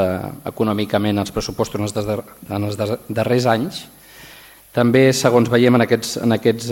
econòmicament els pressupostos en els darrers anys. També, segons veiem en aquests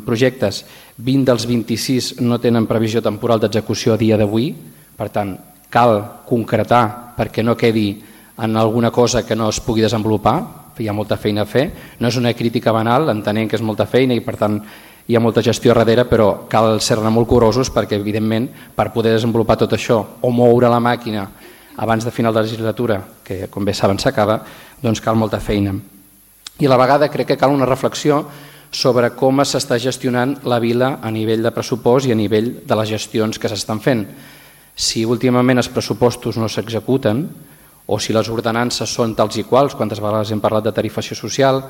projectes, 20 dels 26 no tenen previsió temporal d'execució a dia d'avui. Per tant, cal concretar perquè no quedi en alguna cosa que no es pugui desenvolupar. Hi ha molta feina a fer. No és una crítica banal, entenent que és molta feina i, per tant, hi ha molta gestió darrere, però cal ser-ne molt curosos perquè, evidentment, per poder desenvolupar tot això o moure la màquina abans de final de legislatura, que, com bé saben, s'acaba, doncs cal molta feina. I a la vegada crec que cal una reflexió sobre com s'està gestionant la vila a nivell de pressupost i a nivell de les gestions que s'estan fent. Si últimament els pressupostos no s'executen o si les ordenances són tals i quals, quantes vegades hem parlat de tarifació social,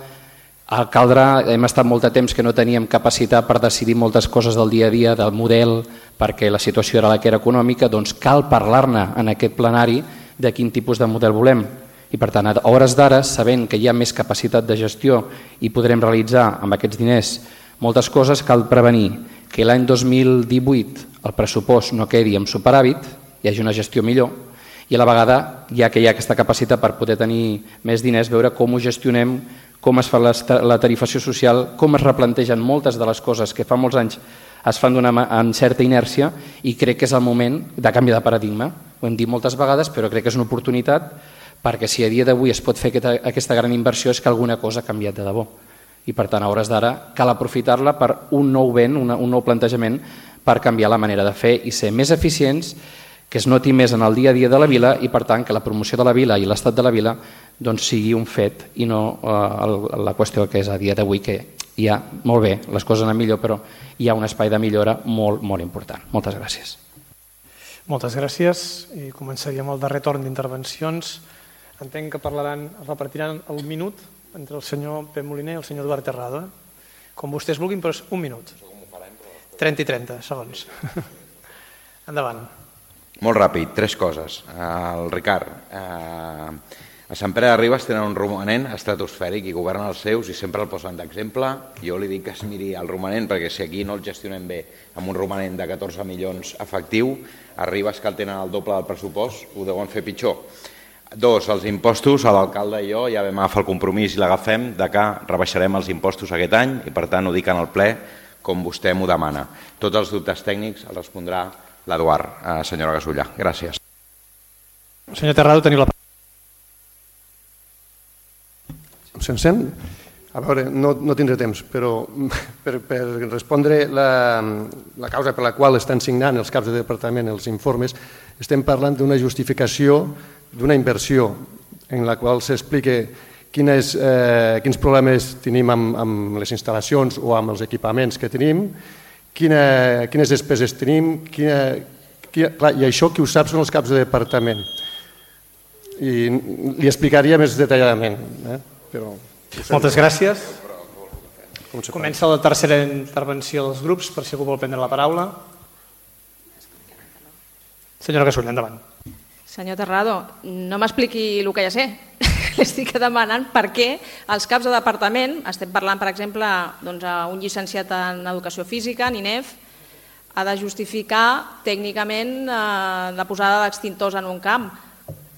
hem estat molt de temps que no teníem capacitat per decidir moltes coses del dia a dia, del model, perquè la situació era la que era econòmica, doncs cal parlar-ne en aquest plenari de quin tipus de model volem. I, per tant, a hores d'ara, sabent que hi ha més capacitat de gestió i podrem realitzar amb aquests diners moltes coses, cal prevenir que l'any 2018 el pressupost no quedi amb superàvit, hi hagi una gestió millor, i a la vegada, ja que hi ha aquesta capacitat per poder tenir més diners, veure com ho gestionem, com es fa la tarifació social, com es replantegen moltes de les coses que fa molts anys es fan amb certa inèrcia, i crec que és el moment de canvi de paradigma. Ho hem dit moltes vegades, però crec que és una oportunitat, perquè si a dia d'avui es pot fer aquesta gran inversió és que alguna cosa ha canviat de debò. I, per tant, a hores d'ara cal aprofitar-la per un nou vent, un nou plantejament per canviar la manera de fer i ser més eficients, que es noti més en el dia a dia de la vila i, per tant, que la promoció de la vila i l'estat de la vila doncs, sigui un fet i no la qüestió que és a dia d'avui, que hi ha, molt bé, les coses anen millor, però hi ha un espai de millora molt, molt important. Moltes gràcies. Moltes gràcies i començaríem el darrer torn d'intervencions. Entenc que repartiran el minut entre el senyor Pep Moliner i el senyor Eduard Terrado. Com vostès vulguin, però és un minut. 30 i 30 segons. Endavant. Molt ràpid, 3 coses. El Ricard, a Sant Pere de Ribes tenen un romanent estratosfèric i governen els seus i sempre el posen d'exemple. Jo li dic que es miri el romanent perquè si aquí no el gestionem bé amb un romanent de 14 milions efectiu, a Ribes que el tenen el doble del pressupost ho deuen fer pitjor. 2, els impostos, l'alcalde i jo ja vam agafar el compromís i l'agafem de que rebaixarem els impostos aquest any i per tant ho dic en el ple com vostè m'ho demana. Tots els dubtes tècnics els respondrà l'Eduard, senyora Gasulla. Gràcies. Senyor Terrado, teniu la paraula. Se'n sent? A veure, no tindré temps, però per respondre la causa per la qual estan signant els caps de departament els informes, estem parlant d'una justificació d'una inversió en la qual s'explica quins problemes tenim amb les instal·lacions o amb els equipaments que tenim quines despeses tenim, clar, i això qui ho sap són els caps de departament. I li explicaria més detalladament. Moltes gràcies. Comença la tercera intervenció dels grups, per si algú vol prendre la paraula. Senyora Gasull, endavant. Senyor Terrado, no m'expliqui el que ja sé. Li estic demanant per què els caps de departament, estem parlant, per exemple, un llicenciat en Educació Física, en INEF, ha de justificar tècnicament la posada d'extintors en un camp.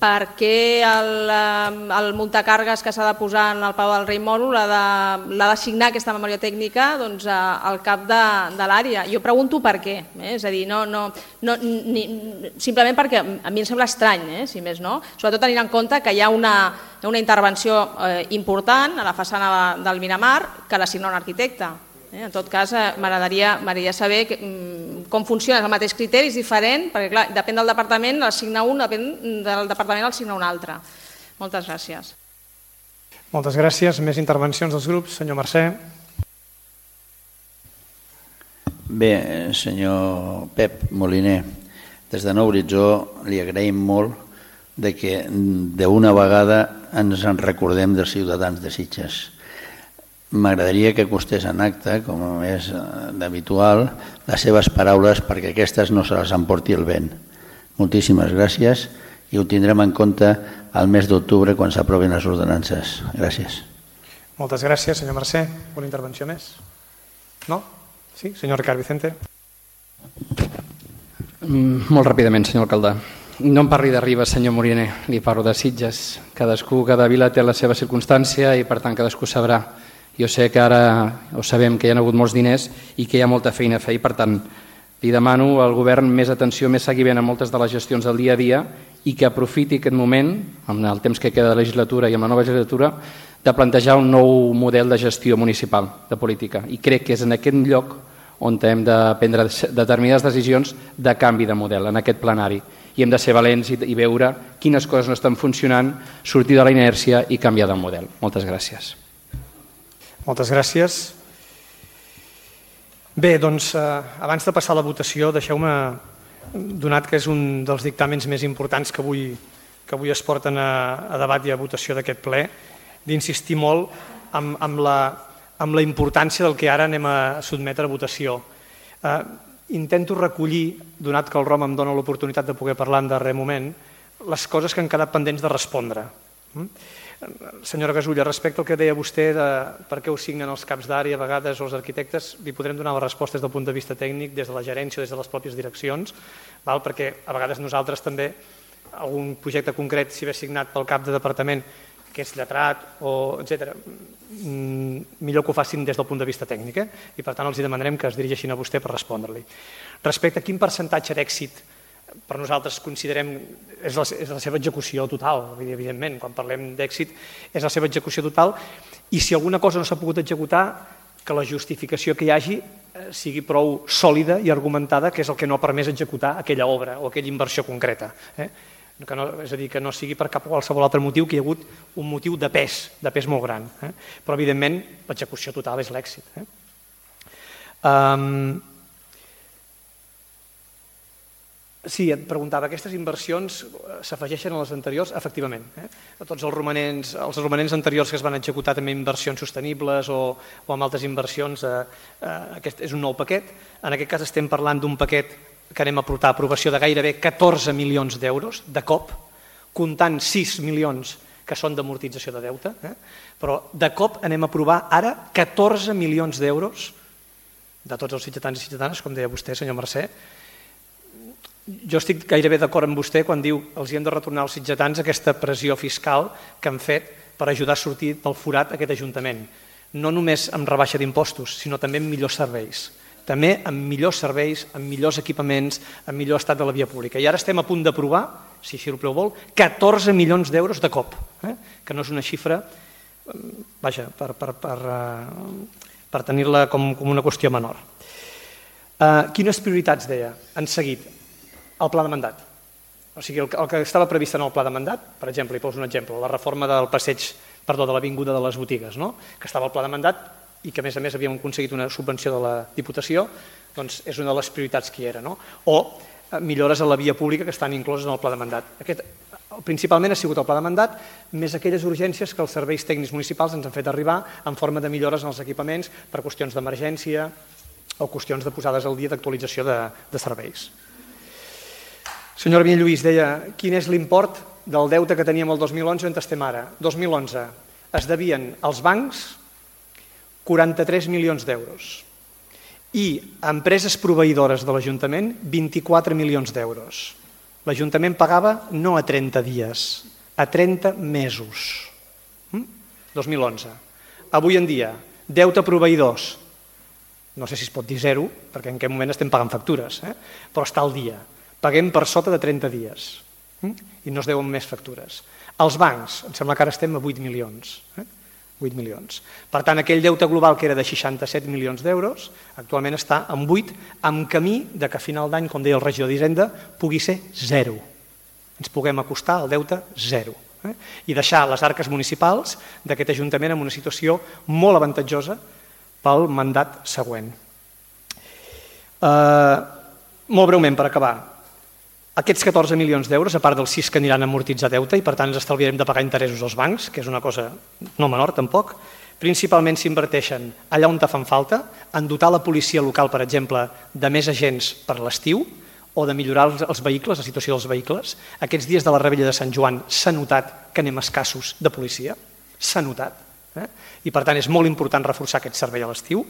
Per què el muntacargues que s'ha de posar en el Palau del Rei Moro l'ha d'assignar aquesta memòria tècnica al cap de l'àrea? Jo pregunto per què, és a dir, simplement perquè a mi em sembla estrany, si més no, sobretot tenint en compte que hi ha una intervenció important a la façana del Miramar que l'assigna un arquitecte. En tot cas, m'agradaria saber com funciona, és el mateix criteri, és diferent, perquè clar, depèn del departament, l'assigna un, depèn del departament, l'assigna un altre. Moltes gràcies. Moltes gràcies. Més intervencions dels grups. Senyor Mercè. Bé, senyor Pep Moliner, des de Nou Horitzó li agraïm molt que d'una vegada ens en recordem dels ciutadans de Sitges. M'agradaria que acostés en acte, com és d'habitual, les seves paraules perquè aquestes no se les emporti el vent. Moltíssimes gràcies i ho tindrem en compte el mes d'octubre quan s'aprovin les ordenances. Gràcies. Moltes gràcies, senyor Mercè. Una intervenció més? No? Sí, senyor Ricard Vicente. Molt ràpidament, senyor alcalde. No em parli de Ribes, senyor Moliner, li parlo de Sitges. Cada vila té la seva circumstància i per tant cadascú sabrà. Jo sé que ara ho sabem que hi ha hagut molts diners i que hi ha molta feina a fer i per tant li demano al govern més atenció, més seguiment a moltes de les gestions del dia a dia i que aprofiti aquest moment, amb el temps que queda de legislatura i amb la nova legislatura, de plantejar un nou model de gestió municipal, de política. I crec que és en aquest lloc on hem de prendre determinades decisions de canvi de model, en aquest plenari. I hem de ser valents i veure quines coses no estan funcionant, sortir de la inèrcia i canviar de model. Moltes gràcies. Moltes gràcies. Bé, doncs, abans de passar a la votació, deixeu-me, donat que és un dels dictàmens més importants que avui es porten a debat i a votació d'aquest ple, d'insistir molt amb la importància del que ara anem a sotmetre a votació. Intento recollir, donat que el Rom em dona l'oportunitat de poder parlar en darrer moment, les coses que han quedat pendents de respondre. Senyora Gasulla, respecte al que deia vostè de per què ho signen els caps d'àrea a vegades o els arquitectes, li podrem donar les respostes des del punt de vista tècnic, des de la gerència o des de les pròpies direccions, perquè a vegades nosaltres també, algun projecte concret, si ve signat pel cap de departament, que és lletrat, etc., millor que ho facin des del punt de vista tècnic, i per tant els demanarem que es dirigeixin a vostè per respondre-li. Respecte a quin percentatge d'èxit per nosaltres considerem és la seva execució total, evidentment, quan parlem d'èxit és la seva execució total, i si alguna cosa no s'ha pogut executar, que la justificació que hi hagi sigui prou sòlida i argumentada, que és el que no ha permès executar aquella obra o aquella inversió concreta. És a dir, que no sigui per cap qualsevol altre motiu, que hi ha hagut un motiu de pes molt gran. Però, evidentment, l'execució total és l'èxit. Sí, et preguntava, aquestes inversions s'afegeixen a les anteriors? Efectivament. A tots els romanents anteriors que es van executar també inversions sostenibles o amb altres inversions, aquest és un nou paquet. En aquest cas estem parlant d'un paquet que anem a portar a aprovació de gairebé 14 milions d'euros de cop, comptant 6 milions que són d'amortització de deute, però de cop anem a aprovar ara 14 milions d'euros de tots els sitgetans i sitgetanes, com deia vostè, senyor Mercè. Jo estic gairebé d'acord amb vostè quan diu que els hem de retornar als sitgetans aquesta pressió fiscal que han fet per ajudar a sortir del forat aquest Ajuntament. No només amb rebaixa d'impostos, sinó també amb millors serveis. També amb millors serveis, amb millors equipaments, amb millor estat de la via pública. I ara estem a punt d'aprovar, si així el ple ho vol, 14 milions d'euros de cop, que no és una xifra, vaja, per tenir-la com una qüestió menor. Quines prioritats, deia, han seguit? El pla de mandat. O sigui, el que estava previst en el pla de mandat, per exemple, hi poso un exemple, la reforma de l'avinguda de les botigues, que estava al pla de mandat i que a més havíem aconseguit una subvenció de la Diputació, doncs és una de les prioritats que hi era, no? O millores a la via pública que estan incloses en el pla de mandat. Principalment ha sigut el pla de mandat, més aquelles urgències que els serveis tècnics municipals ens han fet arribar en forma de millores en els equipaments per qüestions d'emergència o qüestions de posades al dia d'actualització de serveis. Senyora Vinyalluís deia, quin és l'import del deute que teníem el 2011 on estem ara? 2011 es devien als bancs 43 milions d'euros i a empreses proveïdores de l'Ajuntament 24 milions d'euros. L'Ajuntament pagava no a 30 dies, a 30 mesos. 2011. Avui en dia, deute a proveïdors, no sé si es pot dir zero, perquè en aquest moment estem pagant factures, però està al dia. Paguem per sota de 30 dies i no es deuen més factures. Els bancs, em sembla que ara estem a 8 milions. 8 milions. Per tant, aquell deute global que era de 67 milions d'euros, actualment està en 8, amb camí de que a final d'any, com deia el regidor d'Hisenda, pugui ser 0. Ens puguem acostar al deute 0. I deixar les arques municipals d'aquest Ajuntament en una situació molt avantatjosa pel mandat següent. Molt breument, per acabar. Aquests 14 milions d'euros, a part dels 6 que aniran a amortitzar deute, i per tant ens estalviarem de pagar interessos als bancs, que és una cosa no menor tampoc, principalment s'inverteixen allà on te fan falta, en dotar la policia local, per exemple, de més agents per l'estiu, o de millorar els vehicles, la situació dels vehicles. Aquests dies de la Rebella de Sant Joan s'ha notat que anem escassos de policia, s'ha notat, i per tant és molt important reforçar aquest servei a l'estiu.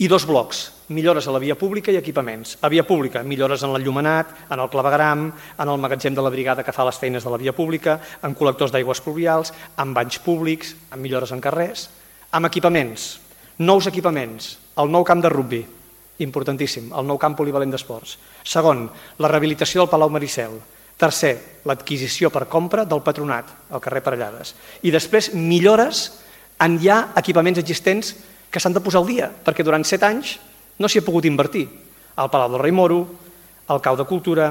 I 2 blocs, millores a la via pública i equipaments. A via pública, millores en l'enllumenat, en el clavegueram, en el magatzem de la brigada que fa les feines de la via pública, en col·lectors d'aigües pluvials, en banys públics, en millores en carrers. Amb equipaments, nous equipaments, el nou camp de rugbi, importantíssim, el nou camp polivalent d'esports. Segon, la rehabilitació del Palau Maricel. Tercer, l'adquisició per compra del Patronat, al carrer Parellades. I després, millores en ja equipaments existents que s'han de posar al dia, perquè durant 7 anys no s'hi ha pogut invertir. El Palau del Rei Moro, el Cau de Cultura,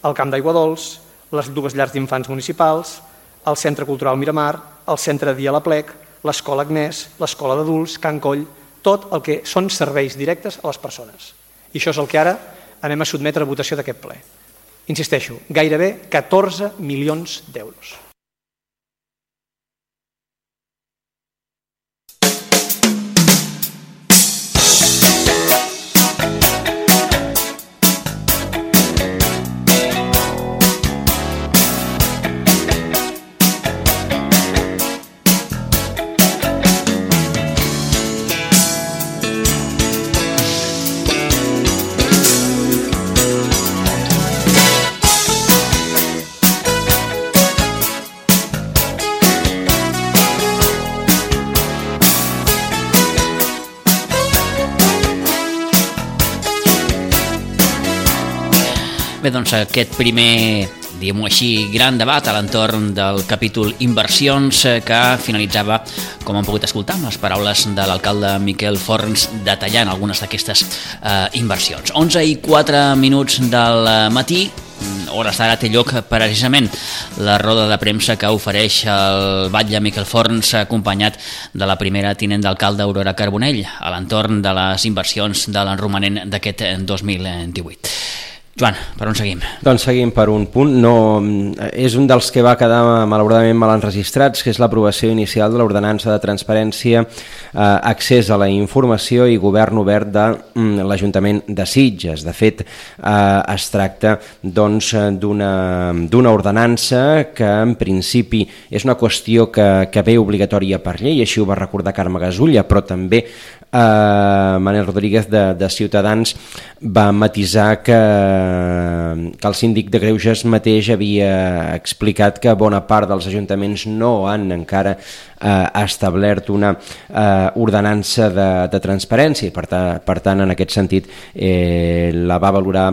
el Camp d'Aigua Dols, les 2 llars d'infants municipals, el Centre Cultural Miramar, el Centre Dia La Plec, l'Escola Agnès, l'Escola d'Adults, Can Coll, tot el que són serveis directes a les persones. I això és el que ara anem a sotmetre a votació d'aquest ple. Insisteixo, gairebé 14 milions d'euros. Bé, doncs aquest primer, diguem-ho així, gran debat a l'entorn del capítol inversions que finalitzava, com han pogut escoltar, amb les paraules de l'alcalde Miquel Forns detallant algunes d'aquestes inversions. 11:04 del matí, hores d'ara té lloc precisament la roda de premsa que ofereix el batlle Miquel Forns acompanyat de la primera tinent d'alcalde Aurora Carbonell a l'entorn de les inversions de l'enromanent d'aquest 2018. Joan, per on seguim? Doncs seguim per un punt. És un dels que va quedar malauradament mal enregistrats, que és l'aprovació inicial de l'ordenança de transparència, accés a la informació i govern obert de l'Ajuntament de Sitges. De fet, es tracta d'una ordenança que en principi és una qüestió que ve obligatòria per llei, així ho va recordar Carme Gasulla, però també Manel Rodríguez de Ciutadans va matisar que el síndic de Greuges mateix havia explicat que bona part dels ajuntaments no han encara establert una ordenança de transparència i per tant en aquest sentit la va valorar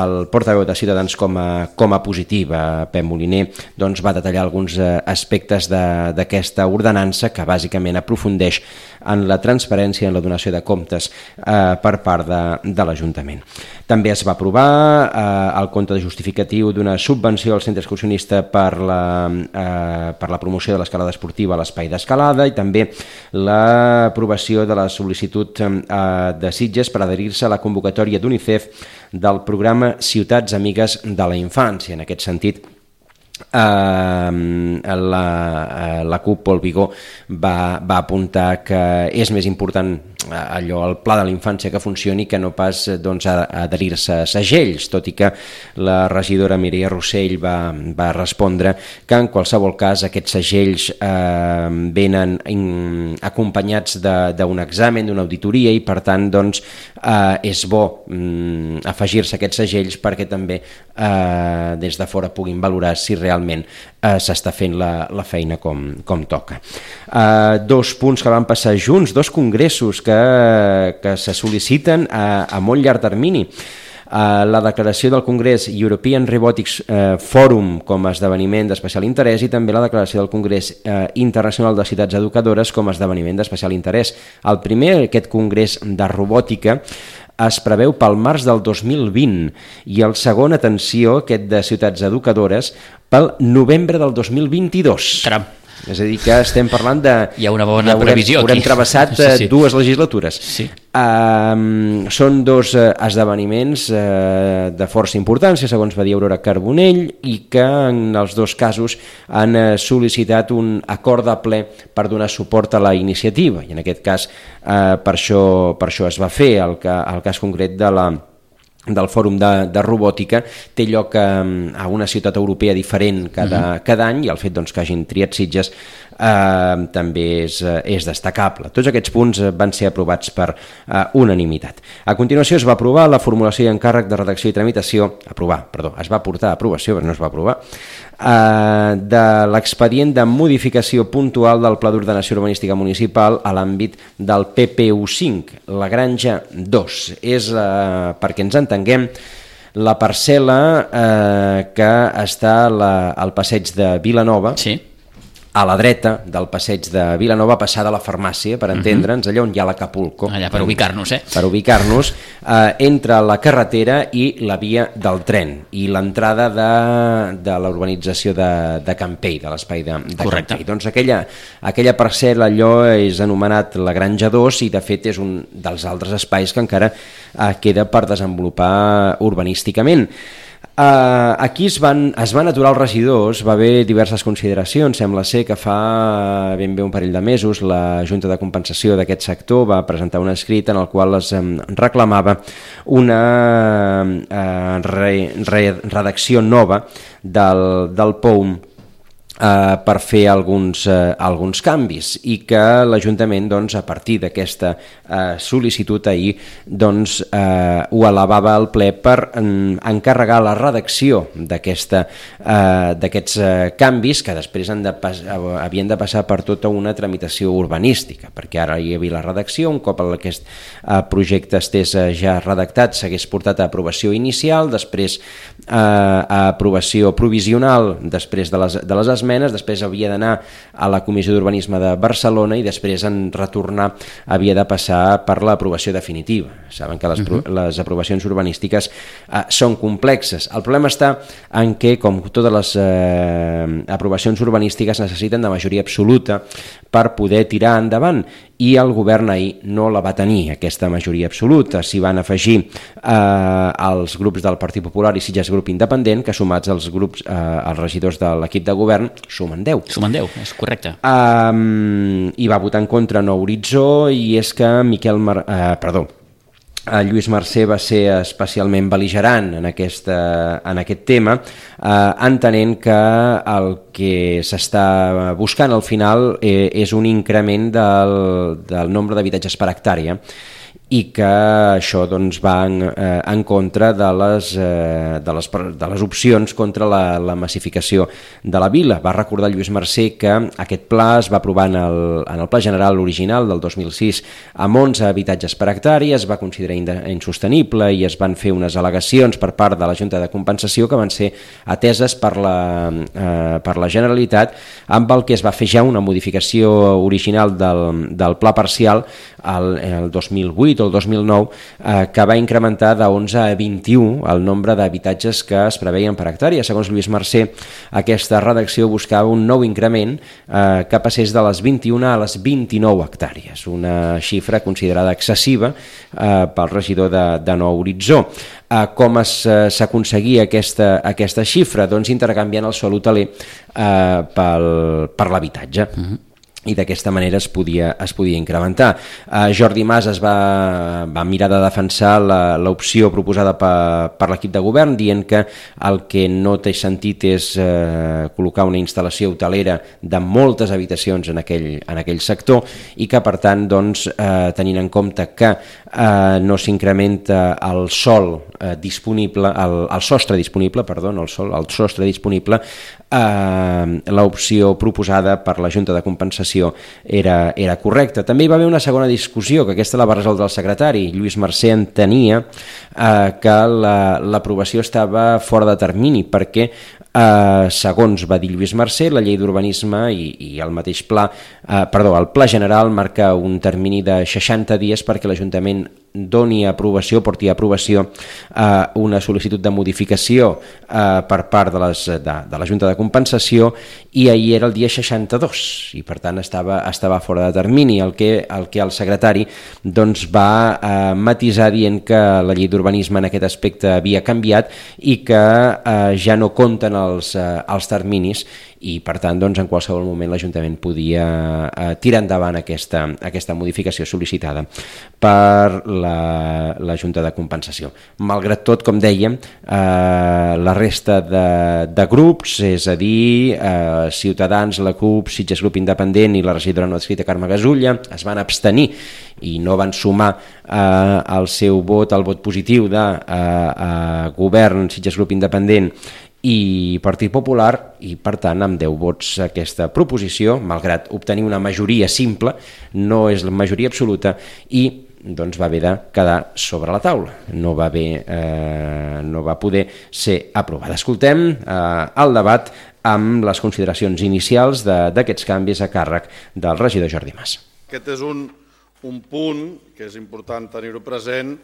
el portaveu de Ciutadans com a positiva. Pep Moliner va detallar alguns aspectes d'aquesta ordenança que bàsicament aprofundeix en la transparència, en la donació de comptes per part de l'Ajuntament. També es va aprovar el compte de justificatiu d'una subvenció al centre excursionista per la promoció de l'escalada esportiva a l'espai d'escalada i també l'aprovació de la sol·licitud de Sitges per adherir-se a la convocatòria d'UNICEF del programa Ciutats Amigues de la Infància. En aquest sentit, la CUP Pol Vigó va apuntar que és més important allò, el pla de la infància que funcioni que no pas adherir-se a segells, tot i que la regidora Mireia Rossell va respondre que en qualsevol cas aquests segells venen acompanyats d'un examen, d'una auditoria i per tant és bo afegir-se a aquests segells perquè també des de fora puguin valorar si realment s'està fent la feina com toca. Dos punts que van passar junts, dos congressos que se sol·liciten a molt llarg termini. La declaració del Congrés European Robotics Forum com a esdeveniment d'especial interès i també la declaració del Congrés Internacional de Ciutats Educadores com a esdeveniment d'especial interès. El primer, aquest Congrés de Robòtica, es preveu pel març del 2020 i el segon, atenció, aquest de Ciutats Educadores, pel novembre del 2022. Caram. És a dir, que estem parlant de... Hi ha una bona previsió aquí. Haurem travessat dues legislatures. Sí. Són dos esdeveniments de força importància, segons va dir Aurora Carbonell, i que en els dos casos han sol·licitat un acord de ple per donar suport a la iniciativa. I en aquest cas, per això es va fer. El cas concret del Fòrum de Robòtica té lloc a una ciutat europea diferent cada any i el fet que hagin triat Sitges també és destacable. Tots aquests punts van ser aprovats per unanimitat. A continuació es va aprovar la formulació i encàrrec de redacció i tramitació, es va portar a aprovació, però no es va aprovar, de l'expedient de modificació puntual del Pla d'Ordenació Urbanística Municipal a l'àmbit del PPU5, la Granja 2. És, perquè ens entenguem, la parcel·la que està al passeig de Vilanova, a la dreta del passeig de Vilanova, passada a la farmàcia, per entendre'ns, allà on hi ha l'Acapulco. Allà, per ubicar-nos, Per ubicar-nos, entre la carretera i la via del tren, i l'entrada de la urbanització de Campell, de l'espai de Campell. Doncs aquella parcel·la, allò és anomenat la Granja 2 i de fet és un dels altres espais que encara queda per desenvolupar urbanísticament. Aquí es van aturar els regidors, va haver diverses consideracions. Sembla ser que fa ben bé un parell de mesos la Junta de Compensació d'aquest sector va presentar un escrit en el qual es reclamava una redacció nova del POUM per fer alguns canvis i que l'Ajuntament a partir d'aquesta sol·licitud ahir ho elevava al ple per encarregar la redacció d'aquests canvis que després havien de passar per tota una tramitació urbanística, perquè ara hi havia la redacció, un cop aquest projecte estés ja redactat s'hagués portat a aprovació inicial, després a aprovació provisional després de les esmenes, després havia d'anar a la Comissió d'Urbanisme de Barcelona i després en retornar havia de passar per l'aprovació definitiva. Saben que les aprovacions urbanístiques són complexes. El problema està en què, com totes les aprovacions urbanístiques, necessiten de majoria absoluta per poder tirar endavant i el govern ahir no la va tenir, aquesta majoria absoluta. S'hi van afegir els grups del Partit Popular i Sitges Grup Independent, que sumats als regidors de l'equip de govern sumen 10. Sumen 10, és correcte. I va votar en contra Nou Horitzó i és que Lluís Mercè va ser especialment bel·ligerant en aquest tema, entenent que el que s'està buscant al final és un increment del nombre d'habitatges per hectàrea i que això va en contra de les opcions contra la massificació de la vila. Va recordar Lluís Mercè que aquest pla es va aprovar en el Pla General original del 2006 amb 11 habitatges per hectàrea, es va considerar insostenible i es van fer unes al·legacions per part de la Junta de Compensació que van ser ateses per la Generalitat, amb el que es va fer ja una modificació original del pla parcial el 2008 o el 2009 que va incrementar de 11 a 21 el nombre d'habitatges que es preveien per hectàrea. Segons Lluís Mercè, aquesta redacció buscava un nou increment que passés de les 21 a les 29 hectàrees, una xifra considerada excessiva pel regidor de Nou Horitzó. Com s'aconseguia aquesta xifra? Doncs intercanviant el sòl hoteler per l'habitatge. I d'aquesta manera es podia incrementar. Jordi Mas es va mirar de defensar l'opció proposada per l'equip de govern, dient que el que no té sentit és col·locar una instal·lació hotelera de moltes habitacions en aquell sector i que, per tant, tenint en compte que no s'incrementa el sostre disponible, l'opció proposada per la Junta de Compensació era correcta. També hi va haver una segona discussió, que aquesta la va resoldre el secretari. Lluís Mercè entenia que l'aprovació estava fora de termini perquè, segons va dir Lluís Mercè, la llei d'urbanisme i el mateix el Pla General marca un termini de 60 dies perquè l'Ajuntament doni aprovació, porti a aprovació una sol·licitud de modificació per part de la Junta de Compensació, i ahir era el dia 62 i per tant estava fora de termini, el que el secretari va matisar dient que la llei d'urbanisme en aquest aspecte havia canviat i que ja no compten els terminis i per tant en qualsevol moment l'Ajuntament podia tirar endavant aquesta modificació sol·licitada per la Junta de Compensació. Malgrat tot, com dèiem, la resta de grups, és a dir, Ciutadans, la CUP, Sitges Grup Independent i la regidora no adscrita Carme Gasulla, es van abstenir i no van sumar el seu vot al vot positiu de Govern, Sitges Grup Independent i Partit Popular, i per tant amb 10 vots aquesta proposició, malgrat obtenir una majoria simple, no és la majoria absoluta i va haver de quedar sobre la taula, no va poder ser aprovada. Escoltem el debat amb les consideracions inicials d'aquests canvis a càrrec del regidor Jordi Mas. Aquest és un punt que és important tenir-ho present,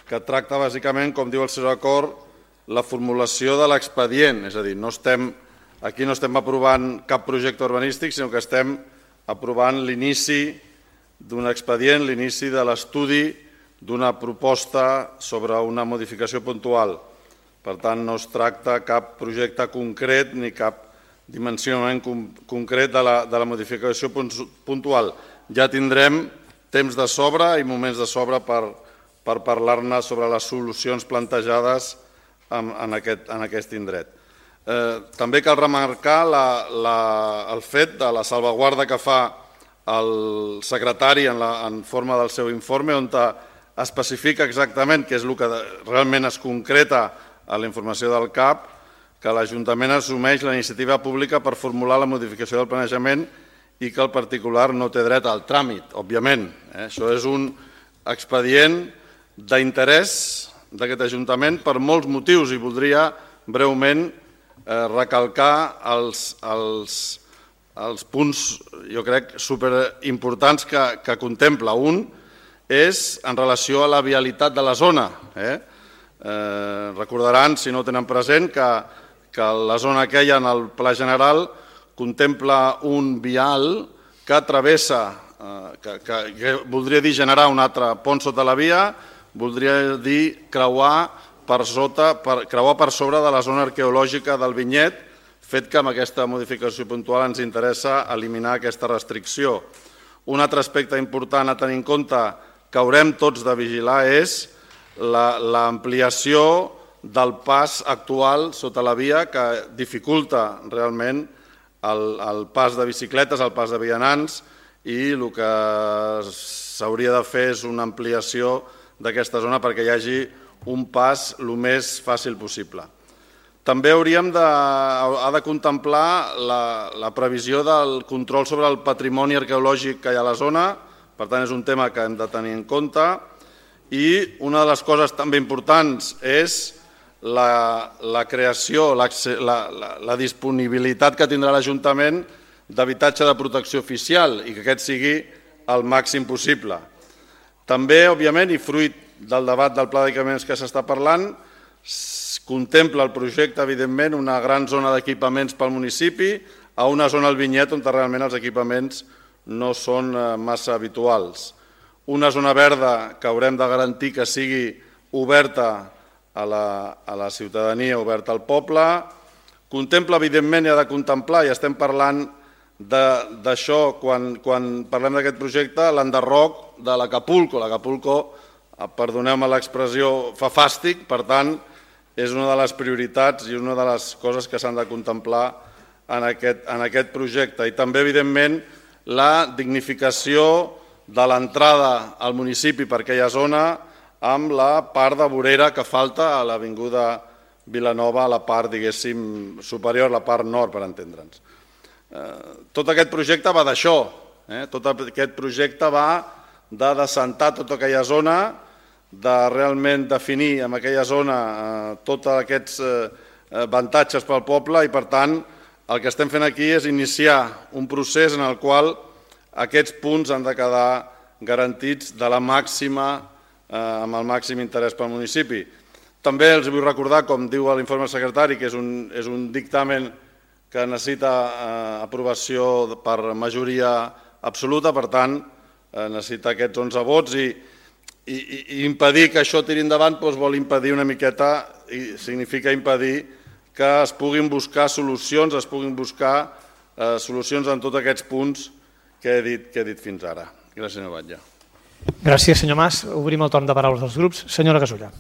que tracta bàsicament, com diu el seu acord, la formulació de l'expedient, és a dir, aquí no estem aprovant cap projecte urbanístic, sinó que estem aprovant l'inici d'un expedient, l'inici de l'estudi d'una proposta sobre una modificació puntual. Per tant, no es tracta cap projecte concret ni cap dimensionament concret de la modificació puntual. Ja tindrem temps de sobre i moments de sobre per parlar-ne sobre les solucions plantejades en aquest indret. També cal remarcar el fet de la salvaguarda que fa el secretari en forma del seu informe, on especifica exactament què és el que realment es concreta a la informació del CAP, que l'Ajuntament assumeix la iniciativa pública per formular la modificació del planejament i que el particular no té dret al tràmit, òbviament. Això és un expedient d'interès d'aquest Ajuntament per molts motius i voldria breument recalcar els punts, jo crec, superimportants que contempla. Un és en relació a la vialitat de la zona. Recordaran, si no ho tenen present, que la zona que hi ha en el Pla General contempla un vial que travessa, que voldria dir generar un altre pont sota la via, voldria dir creuar per sobre de la zona arqueològica del Vinyet, fet que amb aquesta modificació puntual ens interessa eliminar aquesta restricció. Un altre aspecte important a tenir en compte que haurem tots de vigilar és l'ampliació del pas actual sota la via, que dificulta realment el pas de bicicletes, el pas de vianants, i el que s'hauria de fer és una ampliació d'aquesta zona perquè hi hagi un pas el més fàcil possible. També ha de contemplar la previsió del control sobre el patrimoni arqueològic que hi ha a la zona, per tant és un tema que hem de tenir en compte, i una de les coses també importants és la creació, la disponibilitat que tindrà l'Ajuntament d'habitatge de protecció oficial i que aquest sigui el màxim possible. També, òbviament, i fruit del debat del pla d'equipaments que s'està parlant, contempla el projecte, evidentment, una gran zona d'equipaments pel municipi a una zona al Vinyet on realment els equipaments no són massa habituals. Una zona verda que haurem de garantir que sigui oberta a la ciutadania, oberta al poble. Contempla, evidentment, i ha de contemplar, i estem parlant d'això quan parlem d'aquest projecte, l'enderroc de l'Acapulco. L'Acapulco, perdoneu-me l'expressió, fa fàstic, per tant, és una de les prioritats i una de les coses que s'han de contemplar en aquest projecte. I també, evidentment, la dignificació de l'entrada al municipi per aquella zona amb la part de vorera que falta a l'Avinguda Vilanova, a la part, diguéssim, superior, la part nord, per entendre'ns. Tot aquest projecte va d'això. Tot aquest projecte va de descentar tota aquella zona, de realment definir en aquella zona tots aquests avantatges pel poble i, per tant, el que estem fent aquí és iniciar un procés en el qual aquests punts han de quedar garantits amb el màxim interès pel municipi. També els vull recordar, com diu l'informe del secretari, que és un dictamen que necessita aprovació per majoria absoluta, per tant, necessita aquests 11 vots i impedir que això tiri endavant vol impedir una miqueta, i significa impedir que es puguin buscar solucions, en tots aquests punts que he dit fins ara. Gràcies, senyor Batlle. Gràcies, senyor Mas. Obrim el torn de paraules dels grups. Senyora Gasulla.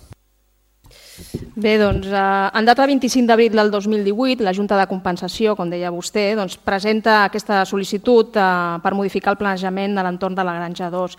Bé, doncs, en data 25 d'abril del 2018, la Junta de Compensació, com deia vostè, presenta aquesta sol·licitud per modificar el planejament de l'entorn de la Granja 2.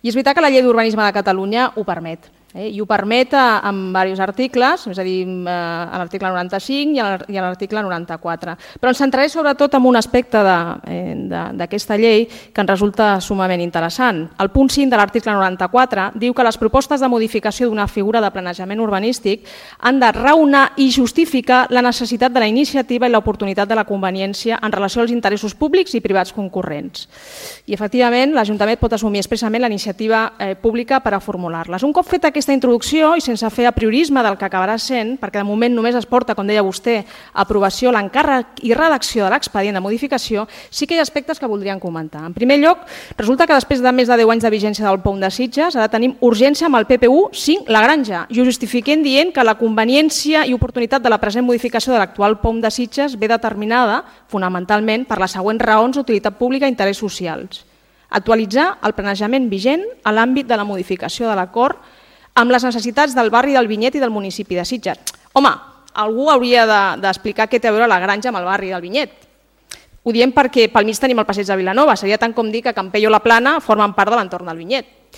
I és veritat que la Llei d'Urbanisme de Catalunya ho permet. I ho permet en diversos articles, és a dir, en l'article 95 i en l'article 94. Però ens centraré sobretot en un aspecte d'aquesta llei que ens resulta sumament interessant. El punt 5 de l'article 94 diu que les propostes de modificació d'una figura de planejament urbanístic han de raonar i justificar la necessitat de la iniciativa i l'oportunitat de la conveniència en relació als interessos públics i privats concurrents. I, efectivament, l'Ajuntament pot assumir expressament la iniciativa pública per a formular-les. Un cop feta aquesta introducció i sense fer apriorisme del que acabarà sent, perquè de moment només es porta, com deia vostè, a aprovació l'encàrrec i redacció de l'expedient de modificació, sí que hi ha aspectes que voldríem comentar. En primer lloc, resulta que després de més de 10 anys de vigència del POM de Sitges, ara tenim urgència amb el PPU 5 La Granja i ho justifiquem dient que la conveniència i oportunitat de la present modificació de l'actual POM de Sitges ve determinada fonamentalment per les següents raons d'utilitat pública i interès socials. Actualitzar el planejament vigent a l'àmbit de la modificació de l'acord amb les necessitats del barri del Vinyet i del municipi de Sitges. Home, algú hauria d'explicar què té a veure la Granja amb el barri del Vinyet. Ho diem perquè pel mig tenim el passeig de Vilanova. Seria tant com dir que Campello i la Plana formen part de l'entorn del Vinyet.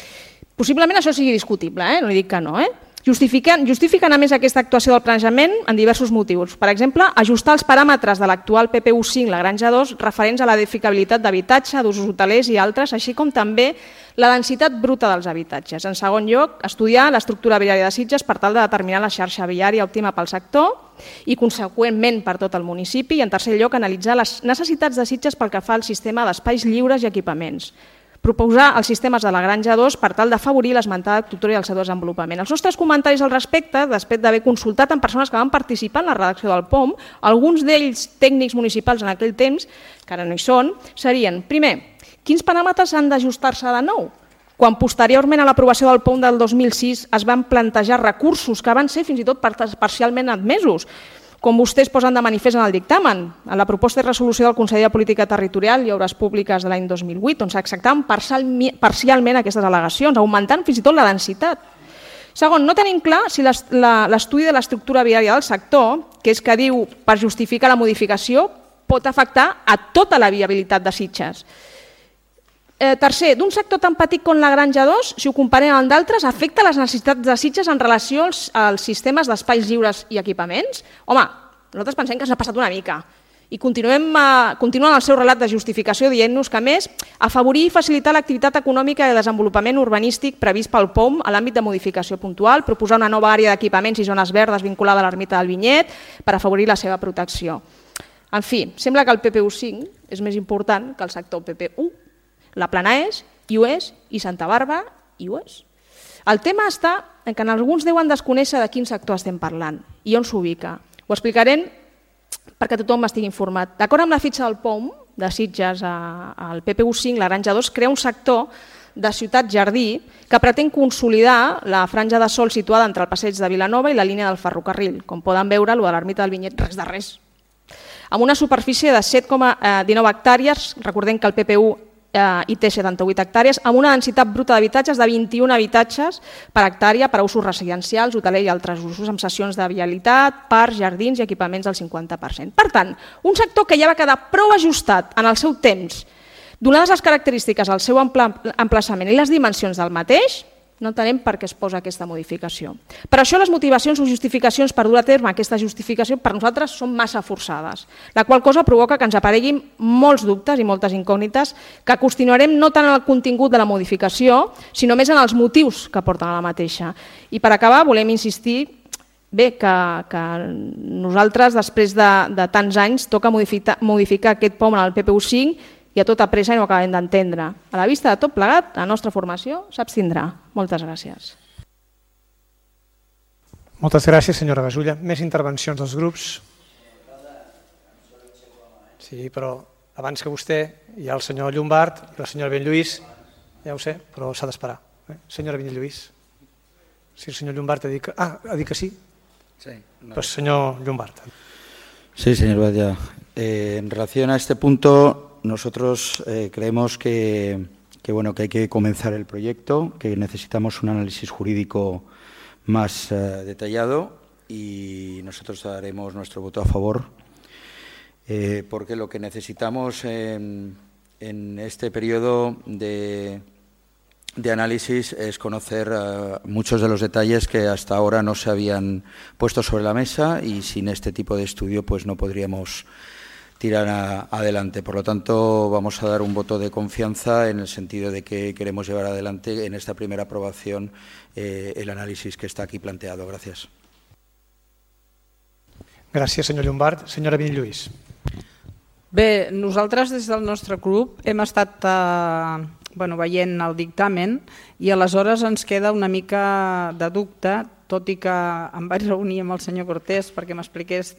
Possiblement això sigui discutible, no dic que no. Justifiquen a més aquesta actuació del planejament en diversos motius. Per exemple, ajustar els paràmetres de l'actual PPU 5 La Granja 2 referents a l'edificabilitat d'habitatge, d'usos hotelers i altres, així com també la densitat bruta dels habitatges. En segon lloc, estudiar l'estructura viària de Sitges per tal de determinar la xarxa viària òptima pel sector i, conseqüentment, per tot el municipi. I, en tercer lloc, analitzar les necessitats de Sitges pel que fa al sistema d'espais lliures i equipaments. Proposar els sistemes de la Granja 2 per tal d'afavorir l'esmentada estructura i el seu desenvolupament. Els nostres comentaris al respecte, després d'haver consultat amb persones que van participar en la redacció del POM, alguns d'ells tècnics municipals en aquell temps, que ara no hi són, serien, primer, quins paràmetres han d'ajustar-se de nou? Quan posteriorment a l'aprovació del POM del 2006 es van plantejar recursos que van ser fins i tot parcialment admesos, com vostès posen de manifest en el dictamen, en la proposta de resolució del Consell de Política Territorial i Obres Públiques de l'any 2008, on s'acceptaven parcialment aquestes al·legacions, augmentant fins i tot la densitat. Segon, no tenim clar si l'estudi de l'estructura viària del sector, que és que diu per justificar la modificació, pot afectar a tota la viabilitat de Sitges. Tercer, d'un sector tan petit com la Granja 2, si ho comparem amb d'altres, afecta les necessitats de Sitges en relació als sistemes d'espais lliures i equipaments? Home, nosaltres pensem que s'ha passat una mica. I continuen el seu relat de justificació dient-nos que, a més, afavorir i facilitar l'activitat econòmica i el desenvolupament urbanístic previst pel POM a l'àmbit de modificació puntual, proposar una nova àrea d'equipaments i zones verdes vinculada a l'ermita del Vinyet per afavorir la seva protecció. En fi, sembla que el PPU5 és més important que el sector PPU. La Plana és, i ho és, i Santa Bàrbara, i ho és. El tema està en que alguns deuen desconèixer de quin sector estem parlant i on s'ubica. Ho explicarem perquè tothom estigui informat. D'acord amb la fitxa del POM de Sitges al PPU5, la Granja 2 crea un sector de ciutat-jardí que pretén consolidar la franja de sol situada entre el passeig de Vilanova i la línia del ferrocarril. Com poden veure, el de l'ermita del Vinyet, res de res. Amb una superfície de 7,19 hectàrees, recordem que el PPU i té 78 hectàrees, amb una densitat bruta d'habitatges de 21 habitatges per hectàrea per a usos residencials, hoteler i altres usos, amb sessions de vialitat, parcs, jardins i equipaments del 50%. Per tant, un sector que ja va quedar prou ajustat en el seu temps, donades les característiques del seu emplaçament i les dimensions del mateix, no entenem per què es posa aquesta modificació. Per això les motivacions o justificacions per dur a terme aquesta justificació per nosaltres són massa forçades, la qual cosa provoca que ens apareguin molts dubtes i moltes incògnites que qüestionarem no tant en el contingut de la modificació, sinó més en els motius que porten a la mateixa. I per acabar volem insistir que nosaltres després de tants anys toca modificar aquest POM en el PPU5 i a tota pressa i no ho acabem d'entendre. A la vista de tot plegat, la nostra formació s'abstindrà. Moltes gràcies. Moltes gràcies, senyora Gasulla. Més intervencions dels grups? Sí, però abans que vostè hi ha el senyor Llombart i la senyora Benlluís. Ja ho sé, però s'ha d'esperar. Senyora Benlluís. Si el senyor Llombart ha dit que sí? Sí. Pues señor Llombart. Sí, señor Batlle. En relación a este punto, nosotros creemos que hay que comenzar el proyecto, que necesitamos un análisis jurídico más detallado y nosotros daremos nuestro voto a favor porque lo que necesitamos en este periodo de análisis es conocer muchos de los detalles que hasta ahora no se habían puesto sobre la mesa y sin este tipo de estudio pues no podríamos tirar adelante. Por lo tanto, vamos a dar un voto de confianza en el sentido de que queremos llevar adelante en esta primera aprobación el análisis que está aquí planteado. Gracias. Gràcies, senyor Llombart. Senyora Benlluís. Bé, nosaltres des del nostre grup hem estat veient el dictamen i aleshores ens queda una mica de dubte, tot i que em vaig reunir amb el senyor Cortés perquè m'expliqués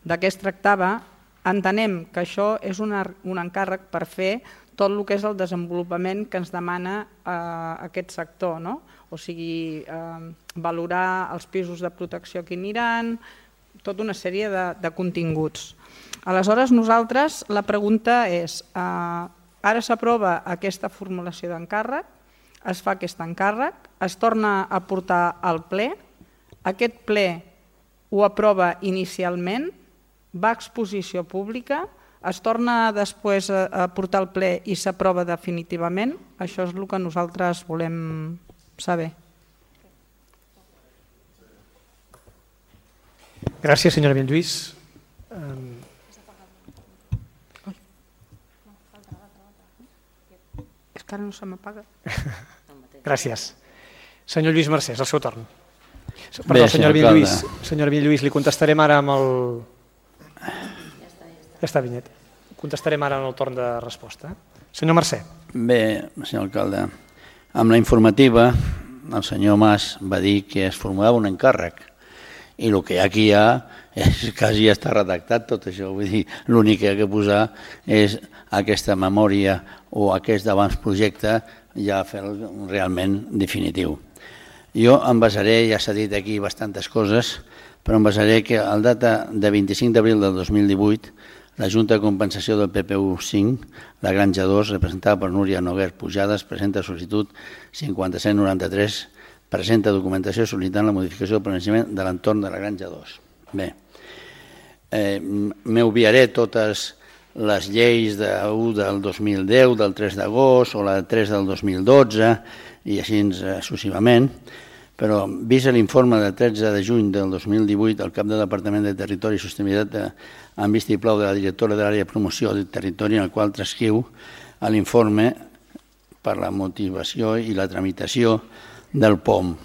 de què es tractava. Entenem que això és un encàrrec per fer tot el que és el desenvolupament que ens demana aquest sector, no? O sigui, valorar els pisos de protecció que aniran, tota una sèrie de continguts. Aleshores, nosaltres, la pregunta és, ara s'aprova aquesta formulació d'encàrrec, es fa aquest encàrrec, es torna a portar al ple, aquest ple ho aprova inicialment, va a exposició pública, es torna després a portar al ple i s'aprova definitivament. Això és el que nosaltres volem saber. Gràcies, senyora Benlluís. És que ara no se m'apaga. Gràcies. Senyor Lluís Mercès, el seu torn. Perdó, senyora Benlluís, li contestarem ara amb el... Ja està, Vinyet. Contestarem ara en el torn de resposta. Senyor Mercè. Bé, senyor alcalde, amb la informativa el senyor Mas va dir que es formulava un encàrrec i el que aquí hi ha és quasi ja està redactat tot això. Vull dir, l'únic que ha de posar és aquesta memòria o aquest d'abans-projecte ja fer-lo realment definitiu. Jo em basaré, ja s'ha dit aquí bastantes coses, però em basaré que al data de 25 d'abril del 2018 la Junta de Compensació del PPU5, la Granja 2, representada per Núria Noguer Pujades, presenta sol·licitud 5793, presenta documentació sol·licitant la modificació del planejament de l'entorn de la Granja 2. Bé, m'obviaré totes les lleis de 1 del 2010, del 3 d'agost, o la 3 del 2012, i així successivament. Però, vist l'informe de 13 de juny del 2018 del cap de Departament de Territori i Sostenibilitat amb vistiplau de la directora de l'àrea de promoció del territori, en el qual transcriu l'informe per la motivació i la tramitació del POM.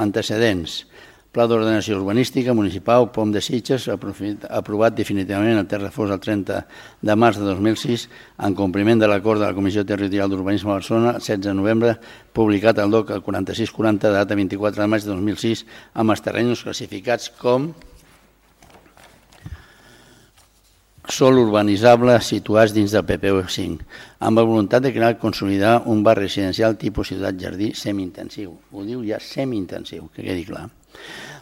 Antecedents. Pla d'Ordenació Urbanística Municipal, POM de Sitges, aprovat definitivament el Terrafós el 30 de març de 2006, en compliment de l'acord de la Comissió Territorial d'Urbanisme de Barcelona, 16 de novembre, publicat al DOC el 4640, de data 24 de maig de 2006, amb els terrenys classificats com sòl urbanitzable situats dins del PPU5, amb la voluntat de crear i consolidar un barri residencial tipus ciutat-jardí semi-intensiu. Ho diu ja semi-intensiu, que quedi clar.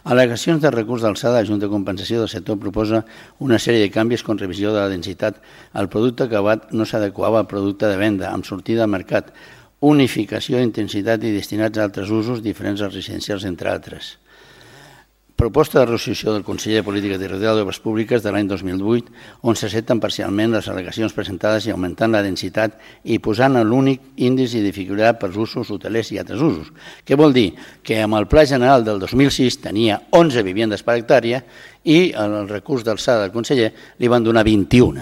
Al·legacions de recurs d'alçada, la Junta de Compensació del Sector proposa una sèrie de canvis con revisió de la densitat. El producte acabat no s'adequava al producte de venda, amb sortida al mercat, unificació d'intensitat i destinats a altres usos diferents als residencials, entre altres. Proposta de resolució del Consell de Política Territorial d'Obres Públiques de l'any 2008, on s'accepten parcialment les al·legacions presentades i augmentant la densitat i posant l'únic índex de dificultat pels usos hotelers i altres usos. Què vol dir? Que amb el Pla General del 2006 tenia 11 viviendes per hectàrea i el recurs d'alçada del conseller li van donar 21.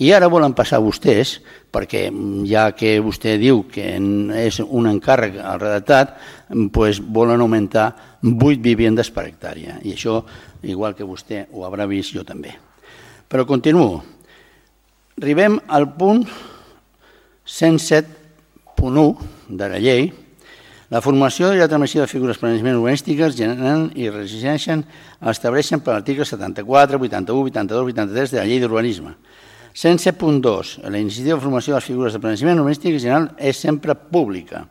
I ara volen passar vostès, perquè ja que vostè diu que és un encàrrec al redactat, doncs volen augmentar 8 viviendes per hectàrea. I això, igual que vostè ho haurà vist, jo també. Però continuo. Arribem al punt 107.1 de la llei. La formació i la transmissió de figures planejament urbanístiques generen i estableixen per l'article 74, 81, 82, 83 de la llei d'urbanisme. 107.2. La iniciativa de formació de les figures de planejament urbanístic general és sempre pública.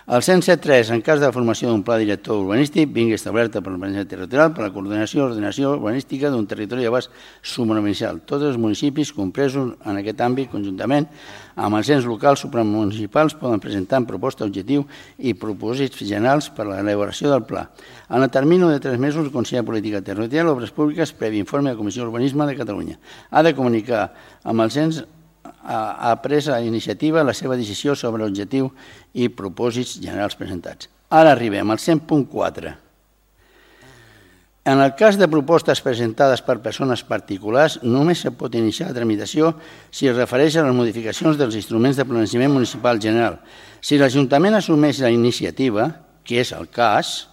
El 107.3. En cas de la formació d'un pla director urbanístic, vingui establerta per l'organització territorial per la coordinació i ordenació urbanística d'un territori d'abast supramunicipal. Tots els municipis compresos en aquest àmbit conjuntament amb els ens locals supramunicipals poden presentar en proposta objectiu i propòsits generals per a l'elaboració del pla. En el termini de 3 mesos, el Consell de Política Territorial d'Obres Públiques, previ informe de la Comissió d'Urbanisme de Catalunya, ha de comunicar amb els ens ha pres la iniciativa la seva decisió sobre l'objectiu i propòsits generals presentats. Ara arribem al 100.4. En el cas de propostes presentades per persones particulars, només se pot iniciar la tramitació si es refereix a les modificacions dels instruments de planejament municipal general. Si l'Ajuntament assumeix la iniciativa, que és el cas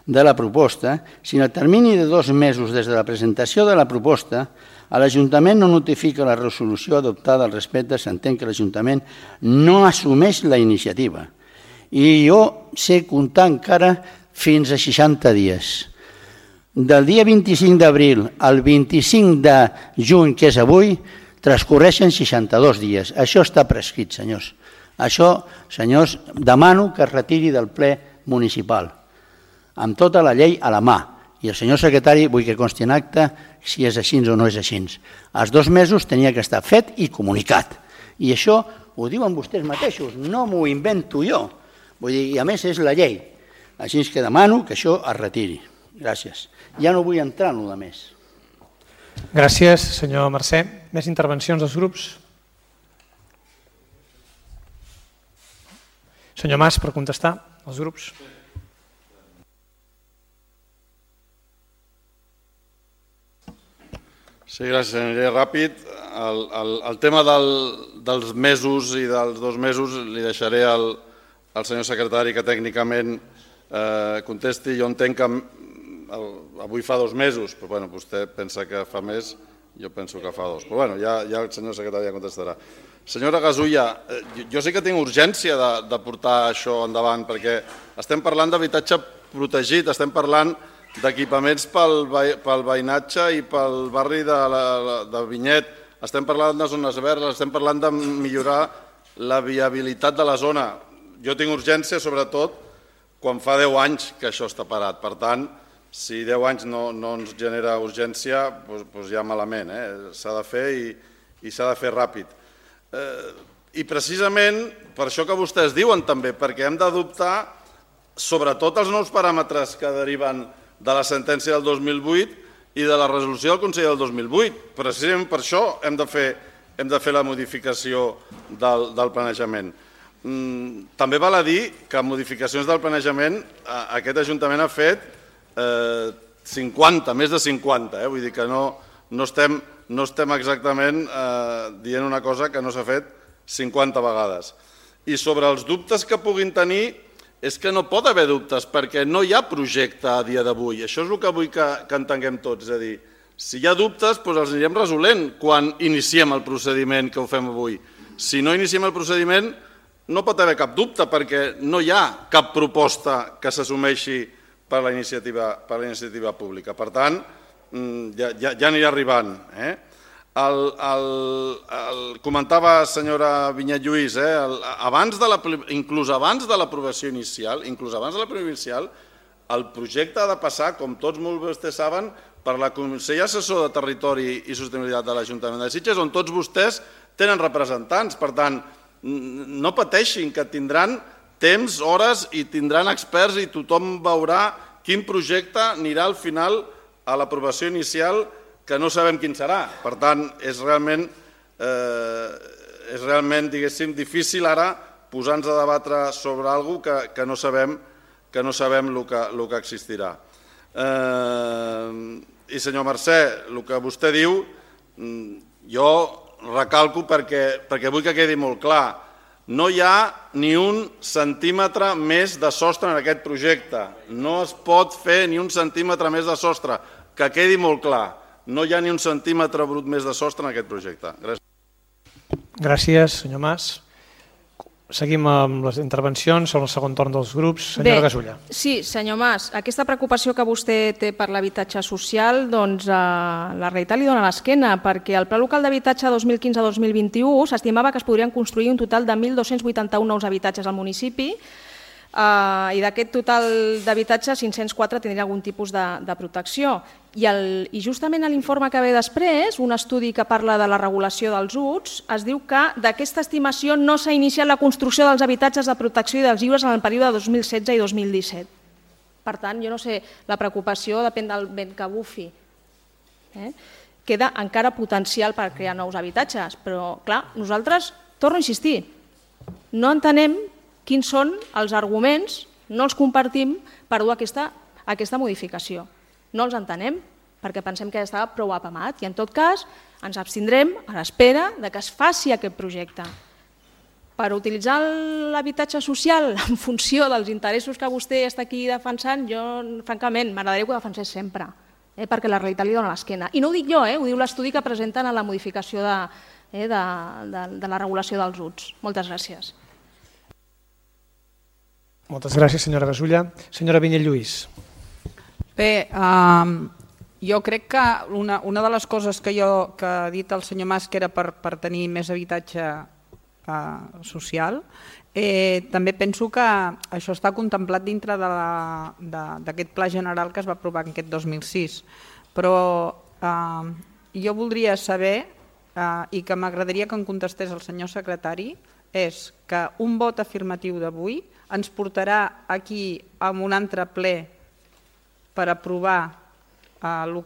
de la proposta, si en el termini de 2 mesos des de la presentació de la proposta l'Ajuntament no notifica la resolució adoptada al respecte, s'entén que l'Ajuntament no assumeix la iniciativa. I jo sé comptar encara fins a 60 dies. Del dia 25 d'abril al 25 de juny, que és avui, transcorreixen 62 dies. Això està prescrit, senyors. Això, senyors, demano que es retiri del ple municipal, amb tota la llei a la mà. I el senyor secretari, vull que consti en acte si és així o no és així. Els 2 mesos tenia que estar fet i comunicat. I això ho diuen vostès mateixos, no m'ho invento jo. Vull dir, i a més és la llei. Així que demano que això es retiri. Gràcies. Ja no vull entrar en el més. Gràcies, senyor Mercè. Més intervencions dels grups? Senyor Mas, per contestar als grups. Sí, gràcies. Aniré ràpid. El tema dels mesos i dels 2 mesos li deixaré al senyor secretari que tècnicament contesti. Jo entenc que avui fa 2 mesos, però vostè pensa que fa més, jo penso que fa 2. Però ja el senyor secretari ja contestarà. Senyora Gasulla, jo sí que tinc urgència de portar això endavant, perquè estem parlant d'habitatge protegit, estem parlant d'equipaments pel veïnatge i pel barri de Vinyet, estem parlant de zones verdes, estem parlant de millorar la viabilitat de la zona. Jo tinc urgència, sobretot, quan fa 10 anys que això està parat. Per tant, si 10 anys no ens genera urgència, doncs ja malament. S'ha de fer i s'ha de fer ràpid. I precisament per això que vostès diuen també, perquè hem d'adoptar sobretot els nous paràmetres que deriven de la sentència del 2008 i de la resolució del Consell del 2008. Precisament per això hem de fer hem de fer la modificació del planejament. També val a dir que modificacions del planejament aquest Ajuntament ha fet 50, més de 50, vull dir que no estem exactament dient una cosa que no s'ha fet 50 vegades. I sobre els dubtes que puguin tenir, és que no pot haver dubtes, perquè no hi ha projecte a dia d'avui. Això és el que vull que entenguem tots, és a dir, si hi ha dubtes, doncs els anirem resolent quan iniciem el procediment que ho fem avui. Si no iniciem el procediment, no pot haver cap dubte, perquè no hi ha cap proposta que s'assumeixi per la iniciativa pública. Per tant, ja anirà arribant. Comentava senyora Vinyet Lluís, inclús abans de l'aprovació inicial, el projecte ha de passar, com tots molt bé vostès saben, per la Consell Assessor de Territori i Sostenibilitat de l'Ajuntament de Sitges, on tots vostès tenen representants. Per tant, no pateixin, que tindran temps, hores i tindran experts i tothom veurà quin projecte anirà al final a l'aprovació inicial, que no sabem quin serà. Per tant, és realment, diguéssim, difícil ara posar-nos a debatre sobre alguna cosa que no sabem el que existirà. I senyor Mercè, el que vostè diu, jo recalco perquè vull que quedi molt clar. No hi ha ni un centímetre més de sostre en aquest projecte. No es pot fer ni un centímetre més de sostre. Que quedi molt clar. No hi ha ni un centímetre brut més de sostre en aquest projecte. Gràcies. Gràcies, senyor Mas. Seguim amb les intervencions, són el segon torn dels grups. Senyora Gasulla. Sí, senyor Mas, aquesta preocupació que vostè té per l'habitatge social, doncs la realitat li dona l'esquena, perquè al Pla Local d'Habitatge 2015-2021 s'estimava que es podrien construir un total de 1.281 nous habitatges al municipi, i d'aquest total d'habitatges 504 tindrien algun tipus de protecció. I justament a l'informe que ve després, un estudi que parla de la regulació dels UTS, es diu que d'aquesta estimació no s'ha iniciat la construcció dels habitatges de protecció i dels lliures en el període 2016 i 2017. Per tant, jo no sé, la preocupació depèn del vent que bufi. Queda encara potencial per crear nous habitatges, però clar, nosaltres, torno a insistir, no entenem quins són els arguments, no els compartim per dur aquesta modificació. No els entenem perquè pensem que ja estava prou apamat i en tot cas ens abstindrem a l'espera que es faci aquest projecte. Per utilitzar l'habitatge social en funció dels interessos que vostè està aquí defensant, jo francament m'agradaria que ho defensés sempre, perquè la realitat li dona l'esquena. I no ho dic jo, ho diu l'estudi que presenten a la modificació de la regulació dels UTS. Moltes gràcies. Moltes gràcies, senyora Gasulla. Senyora Vinyet Lluís. Bé, jo crec que una de les coses que ha dit el senyor Mas, que era per tenir més habitatge social, també penso que això està contemplat dintre d'aquest pla general que es va aprovar en aquest 2006. Però jo voldria saber, i que m'agradaria que em contestés el senyor secretari, és que un vot afirmatiu d'avui ens portarà aquí a un altre ple per aprovar el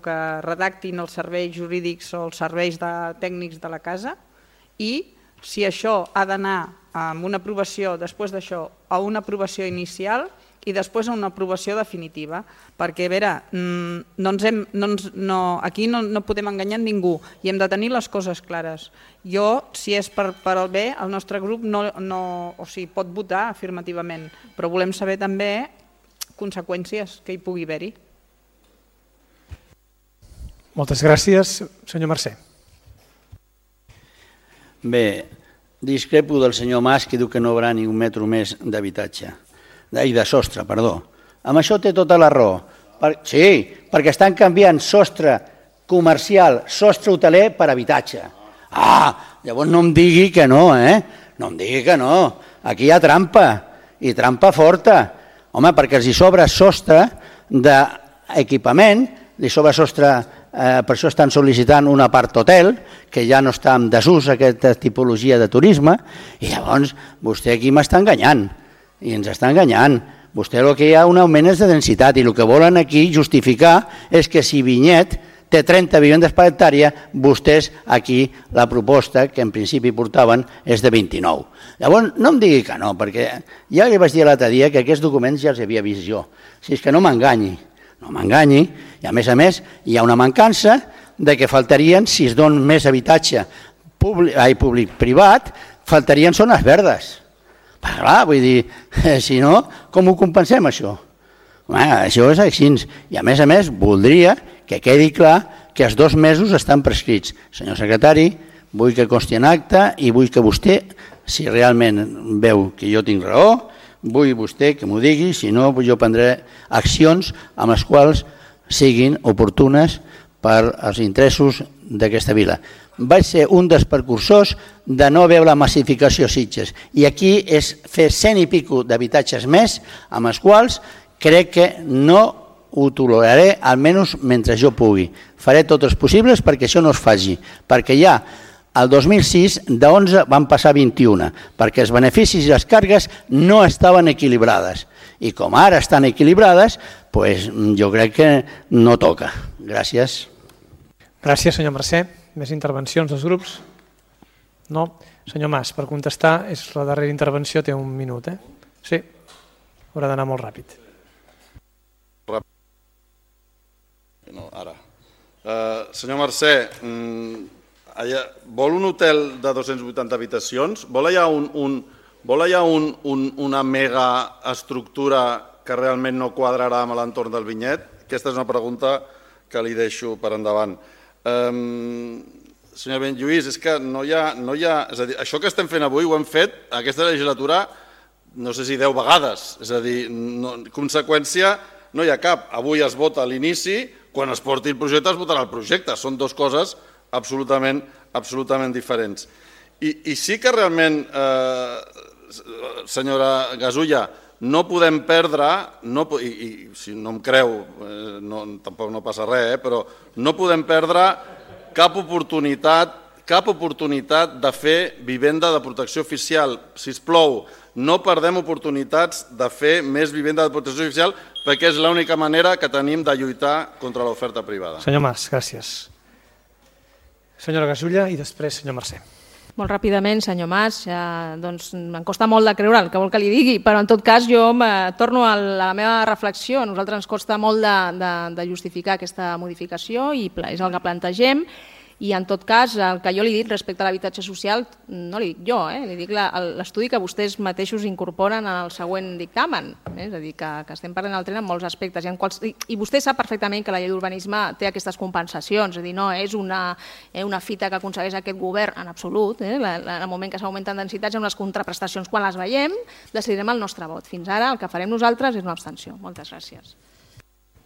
que redactin els serveis jurídics o els serveis tècnics de la casa, i si això ha d'anar amb una aprovació, després d'això, a una aprovació inicial i després a una aprovació definitiva. Perquè, a veure, aquí no podem enganyar ningú i hem de tenir les coses clares. Jo, si és per al bé, el nostre grup pot votar afirmativament, però volem saber també conseqüències que hi pugui haver-hi. Moltes gràcies. Senyor Mercè. Bé, discrepo del senyor Mas, que diu que no hi haurà ni un metro més d'habitatge, de sostre, perdó. Amb això té tota la raó. Sí, perquè estan canviant sostre comercial, sostre hoteler per habitatge. Llavors no em digui que no, no em digui que no. Aquí hi ha trampa, i trampa forta. Home, perquè els hi sobra sostre d'equipament, li sobra sostre, per això estan sol·licitant un apart hotel, que ja no està en desús aquesta tipologia de turisme, i llavors vostè aquí m'està enganyant, i ens està enganyant. Vostè el que hi ha un augment és de densitat, i el que volen aquí justificar és que si Vinyet té 30 vivendes per hectàrea, vostès aquí la proposta que en principi portaven és de 29. Llavors, no em digui que no, perquè ja li vaig dir l'altre dia que aquests documents ja els havia vist jo. Si és que no m'enganyi, i a més hi ha una mancança de que faltarien, si es don més habitatge públic-privat, faltarien zones verdes. Però clar, vull dir, si no, com ho compensem això? Això és així. I a més, voldria que quedi clar que els 2 mesos estan prescrits. Senyor secretari, vull que consti en acte i vull que vostè, si realment veu que jo tinc raó, vull vostè que m'ho digui, si no jo prendré accions amb les quals siguin oportunes per als interessos d'aquesta vila. Vaig ser un dels precursors de no veure la massificació a Sitges i aquí és fer 100 i pico d'habitatges més amb els quals crec que no ho toleraré, almenys mentre jo pugui. Faré tots els possibles perquè això no es faci, perquè ja el 2006 de 11 van passar 21, perquè els beneficis i les càrregues no estaven equilibrades. I com ara estan equilibrades, jo crec que no toca. Gràcies. Gràcies, senyor Mercè. Més intervencions dels grups? No? Senyor Mas, per contestar, és la darrera intervenció, té 1 minut. Sí, haurà d'anar molt ràpid. No, ara. Senyor Mercè, vol un hotel de 280 habitacions? Vol allà una mega estructura que realment no quadrarà amb l'entorn del vinyet? Aquesta és una pregunta que li deixo per endavant. Senyor Benlluís, és que no hi ha... És a dir, això que estem fent avui ho hem fet aquesta legislatura no sé si 10 vegades. És a dir, conseqüència no hi ha cap. Avui es vota a l'inici, quan es porti el projecte es votarà el projecte. Són 2 coses absolutament diferents. I sí que realment, senyora Gasulla, no podem perdre, i si no em creu tampoc no passa res, però no podem perdre cap oportunitat de fer vivenda de protecció oficial. Sisplau, no perdem oportunitats de fer més vivenda de protecció oficial perquè és l'única manera que tenim de lluitar contra l'oferta privada. Senyor Mas, gràcies. Senyora Gasulla i després senyor Mercè. Molt ràpidament, senyor Mas, em costa molt de creure el que vol que li digui, però en tot cas jo torno a la meva reflexió. A nosaltres ens costa molt de justificar aquesta modificació i és el que plantegem. I en tot cas, el que jo li dic respecte a l'habitatge social, no li dic jo, li dic l'estudi que vostès mateixos incorporen en el següent dictamen. És a dir, que estem parlant del tren en molts aspectes. I vostè sap perfectament que la llei d'urbanisme té aquestes compensacions, és a dir, no és una fita que aconsegueix aquest govern en absolut. En el moment que s'augmenten densitats amb les contraprestacions, quan les veiem, decidirem el nostre vot. Fins ara el que farem nosaltres és una abstenció. Moltes gràcies.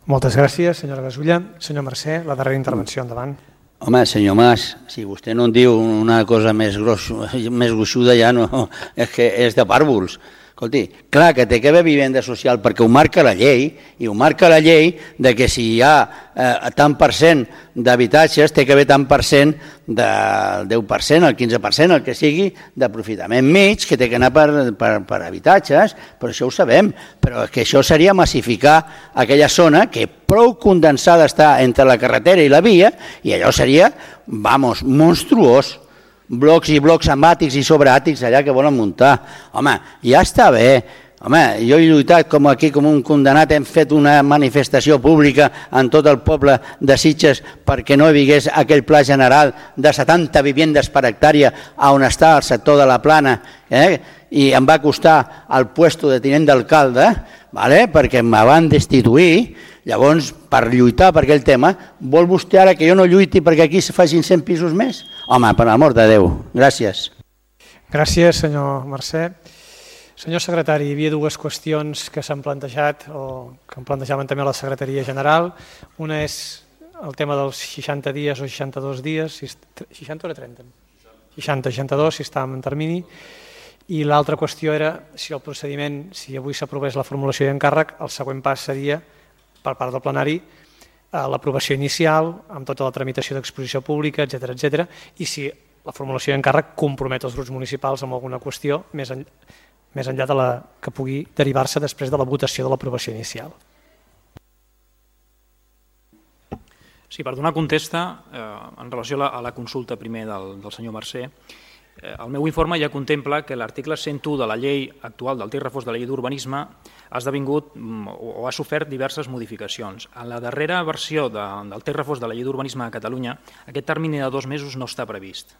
Moltes gràcies, senyora Gasulla. Senyor Mercè, la darrera intervenció, endavant. Home, senyor Mas, si vostè no en diu una cosa més gruixuda ja no, és que és de pàrvuls. Escolti, clar que té que haver vivenda social perquè ho marca la llei, i ho marca la llei de que si hi ha tant per cent d'habitatges té que haver tant per cent del 10%, el 15%, el que sigui, d'aprofitament mig, que té que anar per habitatges, però això ho sabem, però que això seria massificar aquella zona que prou condensada està entre la carretera i la via, i allò seria, monstruós. Blocs i blocs amb àtics i sobreàtics allà que volen muntar. Home, ja està bé. Home, jo he lluitat aquí com un condenat, hem fet una manifestació pública en tot el poble de Sitges perquè no hi hagués aquell pla general de 70 vivendes per hectàrea on està el sector de la Plana, i em va costar el puesto de tinent d'alcalde, perquè me van destituir. Llavors, per lluitar per aquell tema, vol vostè ara que jo no lluiti perquè aquí se facin 100 pisos més? Home, per l'amor de Déu. Gràcies. Gràcies, senyor Mercè. Senyor secretari, hi havia 2 qüestions que s'han plantejat o que en plantejaven també a la Secretaria General. Una és el tema dels 60 dies o 62 dies, 60 o 30? 60, 62, si estàvem en termini. I l'altra qüestió era si el procediment, si avui s'aprovés la formulació d'encàrrec, el següent pas seria, per part del plenari, l'aprovació inicial, amb tota la tramitació d'exposició pública, etc., i si la formulació d'encàrrec compromet els grups municipals amb alguna qüestió més enllà de la que pugui derivar-se després de la votació de l'aprovació inicial. Sí, per donar contesta, en relació a la consulta primer del senyor Mercè, el meu informe ja contempla que l'article 101 de la llei actual del text refós de la llei d'urbanisme ha esdevingut o ha sofert diverses modificacions. En la darrera versió del text refós de la llei d'urbanisme de Catalunya, aquest termini de 2 mesos no està previst,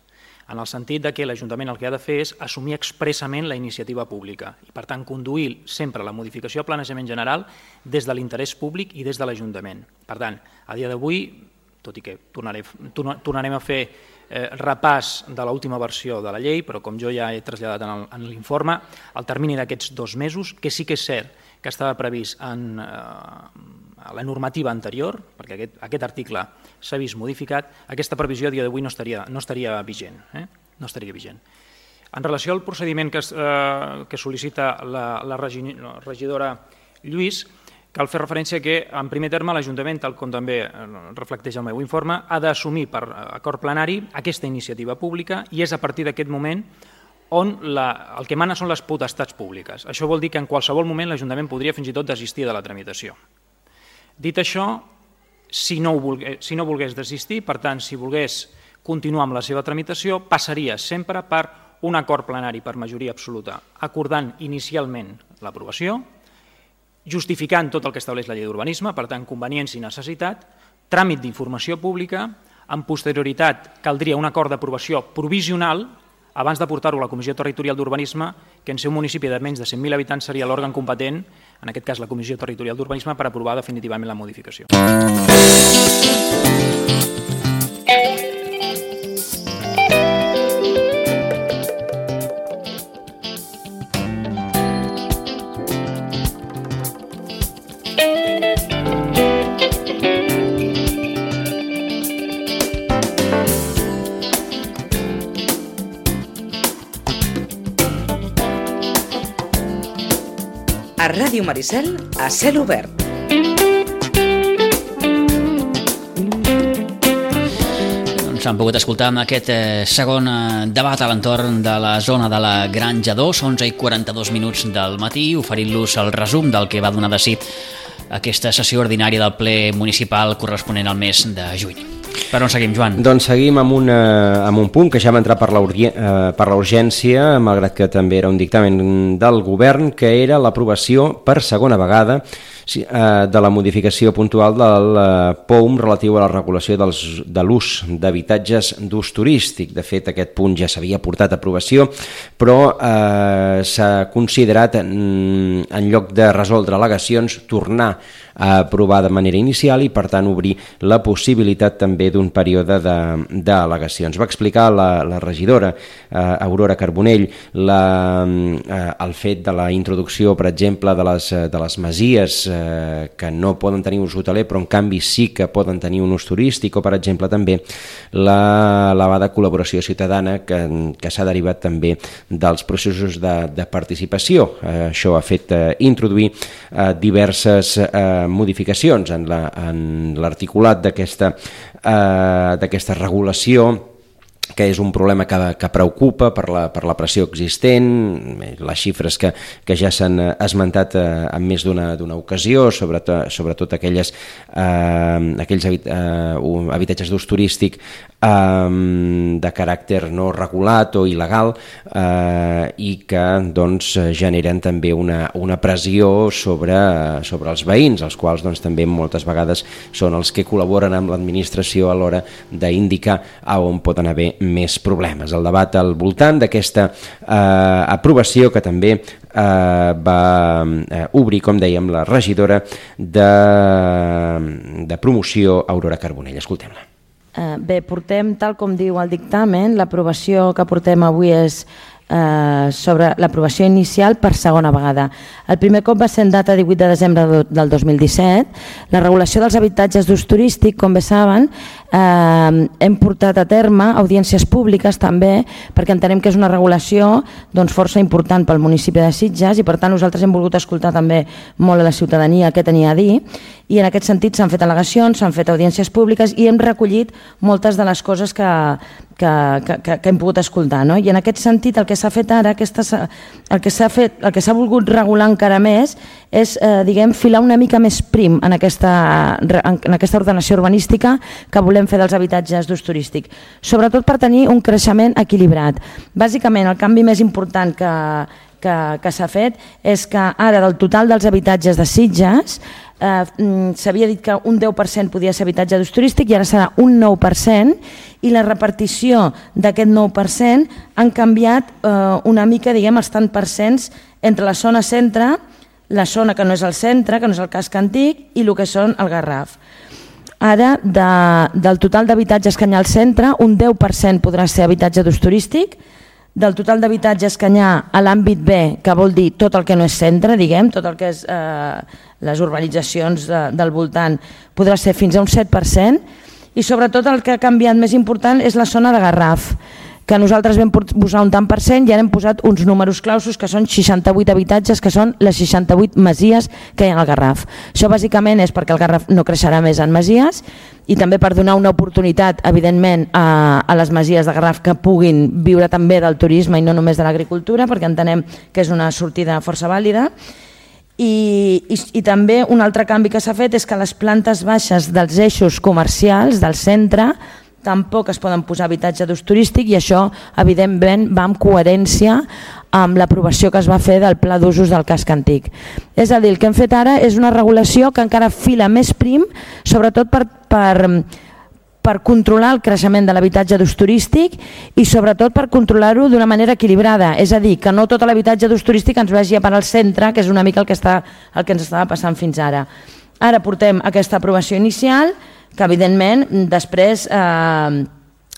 en el sentit que l'Ajuntament el que ha de fer és assumir expressament la iniciativa pública i, per tant, conduir sempre la modificació de planejament general des de l'interès públic i des de l'Ajuntament. Per tant, a dia d'avui, tot i que tornarem a fer repàs de l'última versió de la llei, però com jo ja he traslladat en l'informe, el termini d'aquests 2 mesos, que sí que és cert que estava previst en la normativa anterior, perquè aquest article s'ha vist modificat, aquesta previsió a dia d'avui no estaria vigent. En relació al procediment que sol·licita la regidora Lluís, cal fer referència que, en primer terme, l'Ajuntament, tal com també reflecteix el meu informe, ha d'assumir per acord plenari aquesta iniciativa pública i és a partir d'aquest moment on el que mana són les potestats públiques. Això vol dir que en qualsevol moment l'Ajuntament podria fins i tot desistir de la tramitació. Dit això, si no volgués desistir, per tant, si volgués continuar amb la seva tramitació, passaria sempre per un acord plenari per majoria absoluta, acordant inicialment l'aprovació, justificant tot el que estableix la llei d'urbanisme, per tant, conveniència i necessitat, tràmit d'informació pública, en posterioritat caldria un acord d'aprovació provisional abans de portar-ho a la Comissió Territorial d'Urbanisme, que en ser un municipi de menys de 100.000 habitants seria l'òrgan competent, en aquest cas la Comissió Territorial d'Urbanisme, per aprovar definitivament la modificació. A Ràdio Maricel, a cel obert. Doncs han pogut escoltar amb aquest segon debat a l'entorn de la zona de la Granja 2, 11:42 del matí, oferint-los el resum del que va donar de si aquesta sessió ordinària del ple municipal corresponent al mes de juny. Per on seguim, Joan? Doncs seguim amb un punt que ja va entrar per la urgència, malgrat que també era un dictamen del govern, que era l'aprovació per segona vegada de la modificació puntual del POUM relatiu a la regulació de l'ús d'habitatges d'ús turístic. De fet, aquest punt ja s'havia portat a aprovació, però s'ha considerat, en lloc de resoldre al·legacions, tornar a aprovar de manera inicial i, per tant, obrir la possibilitat també d'un període d'al·legacions. Va explicar la regidora Aurora Carbonell el fet de la introducció, per exemple, de les masies que no poden tenir ús hoteler, però en canvi sí que poden tenir un ús turístic, o, per exemple, també l'elevada col·laboració ciutadana que s'ha derivat també dels processos de participació. Això ha fet introduir diverses modificacions en l'articulat d'aquesta regulació, que és un problema que preocupa per la pressió existent, les xifres que ja s'han esmentat en més d'una ocasió, sobretot aquells habitatges d'ús turístic de caràcter no regulat o il·legal, i que doncs generen també una pressió sobre els veïns, els quals doncs també moltes vegades són els que col·laboren amb l'administració a l'hora d'indicar a on poden haver més problemes. El debat al voltant d'aquesta aprovació que també va obrir, com dèiem, la regidora de promoció, Aurora Carbonell. Escoltem-la. Bé, portem, tal com diu el dictamen, l'aprovació que portem avui és sobre l'aprovació inicial per segona vegada. El primer cop va ser en data 18 de desembre del 2017. La regulació dels habitatges d'ús turístic, com bé saben, hem portat a terme audiències públiques també, perquè entenem que és una regulació força important pel municipi de Sitges i, per tant, nosaltres hem volgut escoltar també molt a la ciutadania què tenia a dir, i en aquest sentit s'han fet al·legacions, s'han fet audiències públiques i hem recollit moltes de les coses que hem pogut escoltar. I en aquest sentit el que s'ha fet ara, el que s'ha volgut regular encara més és filar una mica més prim en aquesta ordenació urbanística que volem fer dels habitatges d'ús turístic, sobretot per tenir un creixement equilibrat. Bàsicament el canvi més important que s'ha fet és que ara del total dels habitatges de Sitges s'havia dit que un 10% podia ser habitatge d'ús turístic i ara serà un 9%, i la repartició d'aquest 9% han canviat una mica, els tant percents entre la zona centre, la zona que no és el centre, que no és el casc antic, i el que són el Garraf. Ara, del total d'habitatges que hi ha al centre, un 10% podrà ser habitatge d'ús turístic. Del total d'habitatges que hi ha a l'àmbit B, que vol dir tot el que no és centre, tot el que és les urbanitzacions del voltant, podrà ser fins a un 7%, i sobretot el que ha canviat més important és la zona de Garraf, que nosaltres vam posar un tant per cent i ara hem posat uns números clausos que són 68 habitatges, que són les 68 masies que hi ha al Garraf. Això bàsicament és perquè el Garraf no creixerà més en masies i també per donar una oportunitat, evidentment, a les masies de Garraf que puguin viure també del turisme i no només de l'agricultura, perquè entenem que és una sortida força vàlida. I també un altre canvi que s'ha fet és que les plantes baixes dels eixos comercials del centre tampoc es poden posar habitatge d'ús turístic, i això evidentment va en coherència amb l'aprovació que es va fer del pla d'usos del casc antic. És a dir, el que hem fet ara és una regulació que encara fila més prim, sobretot per controlar el creixement de l'habitatge d'ús turístic i sobretot per controlar-ho d'una manera equilibrada, és a dir, que no tot l'habitatge d'ús turístic ens vagi a parar al centre, que és una mica el que ens estava passant fins ara. Ara portem aquesta aprovació inicial, que evidentment després ja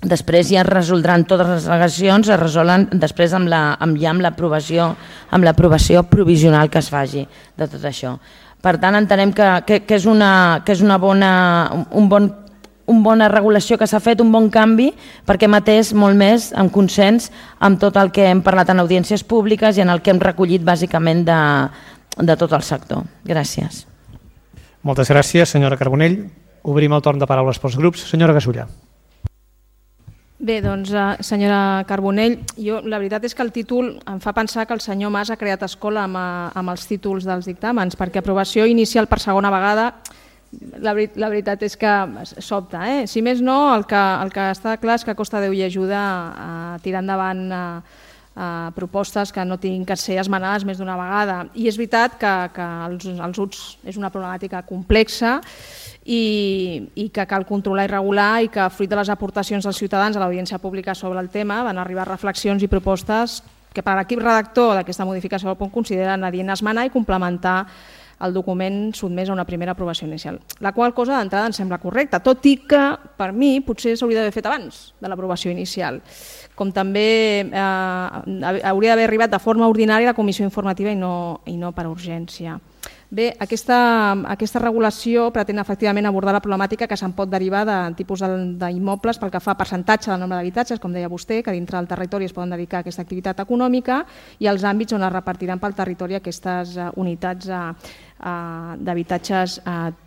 es resoldran totes les al·legacions, es resolen després amb l'aprovació provisional que es faci de tot això. Per tant, entenem que és una bona regulació que s'ha fet, un bon canvi, perquè hem atès molt més en consens amb tot el que hem parlat en audiències públiques i en el que hem recollit bàsicament de tot el sector. Gràcies. Moltes gràcies, senyora Carbonell. Obrim el torn de paraules pels grups. Senyora Gasulla. Bé, doncs, senyora Carbonell, la veritat és que el títol em fa pensar que el senyor Mas ha creat escola amb els títols dels dictàmens, perquè aprovació inicial per segona vegada, la veritat és que sobta. Si més no, el que està clar és que costa Déu i ajuda a tirar endavant propostes que no tinguin que ser esmenades més d'una vegada. I és veritat que els UTS és una problemàtica complexa i que cal controlar i regular, i que fruit de les aportacions dels ciutadans a l'audiència pública sobre el tema van arribar reflexions i propostes que per l'equip redactor d'aquesta modificació del punt consideren adient esmenar i complementar el document sotmès a una primera aprovació inicial. La qual cosa d'entrada em sembla correcta, tot i que per mi potser s'hauria d'haver fet abans de l'aprovació inicial, com també hauria d'haver arribat de forma ordinària a la comissió informativa i no per urgència. Bé, aquesta regulació pretén efectivament abordar la problemàtica que se'n pot derivar de tipus d'immobles pel que fa a percentatge del nombre d'habitatges, com deia vostè, que dintre del territori es poden dedicar a aquesta activitat econòmica, i els àmbits on es repartiran pel territori aquestes unitats d'habitatges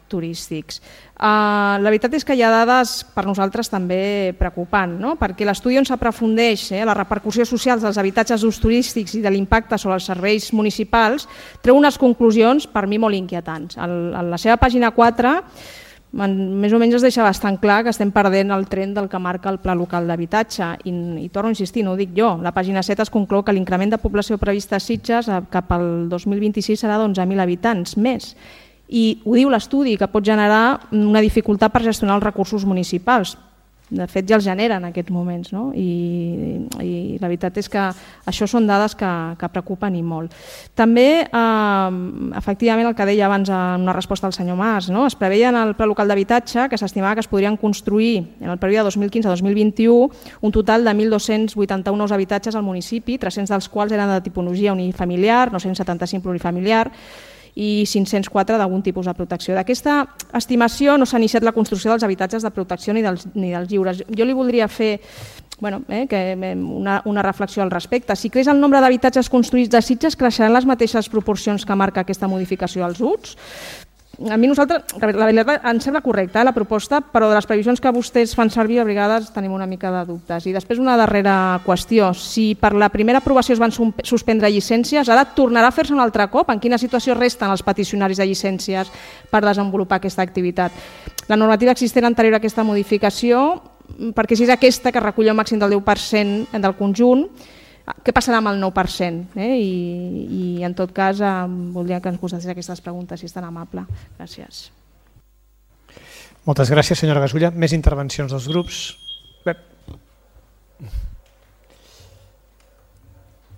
turístics. La veritat és que hi ha dades per nosaltres també preocupants, perquè l'estudi on s'aprofundeix la repercussió social dels habitatges d'ús turístics i de l'impacte sobre els serveis municipals treu unes conclusions per mi molt inquietants. A la seva pàgina 4 més o menys es deixa bastant clar que estem perdent el tren del que marca el Pla Local d'Habitatge i torno a insistir, no ho dic jo, la pàgina 7 es conclou que l'increment de població previst a Sitges cap al 2026 serà d'11.000 habitants més, i ho diu l'estudi, que pot generar una dificultat per gestionar els recursos municipals. De fet ja els genera en aquests moments, i la veritat és que això són dades que preocupen i molt. També, efectivament, el que deia abans en una resposta al senyor Mas, es preveia en el Pla Local d'Habitatge que s'estimava que es podrien construir en el període 2015-2021 un total de 1.281 nous habitatges al municipi, 300 dels quals eren de tipologia unifamiliar, 975 plurifamiliar, i 504 d'algun tipus de protecció. D'aquesta estimació no s'ha iniciat la construcció dels habitatges de protecció ni dels lliures. Jo li voldria fer una reflexió al respecte. Si creix el nombre d'habitatges construïts de Sitges, creixeran les mateixes proporcions que marca aquesta modificació als UTS? a mi la veritat ens sembla correcta la proposta, però de les previsions que vostès fan servir a vegades tenim una mica de dubtes. I després una darrera qüestió. Si per la primera aprovació es van suspendre llicències, ara tornarà a fer-se un altre cop? En quina situació resten els peticionaris de llicències per desenvolupar aquesta activitat? La normativa existent anterior a aquesta modificació, perquè si és aquesta que recull el màxim del 10% del conjunt, què passarà amb el 9%? I en tot cas voldria que ens contestés aquestes preguntes, si és tan amable. Gràcies. Moltes gràcies, senyora Gasulla. Més intervencions dels grups. Pep.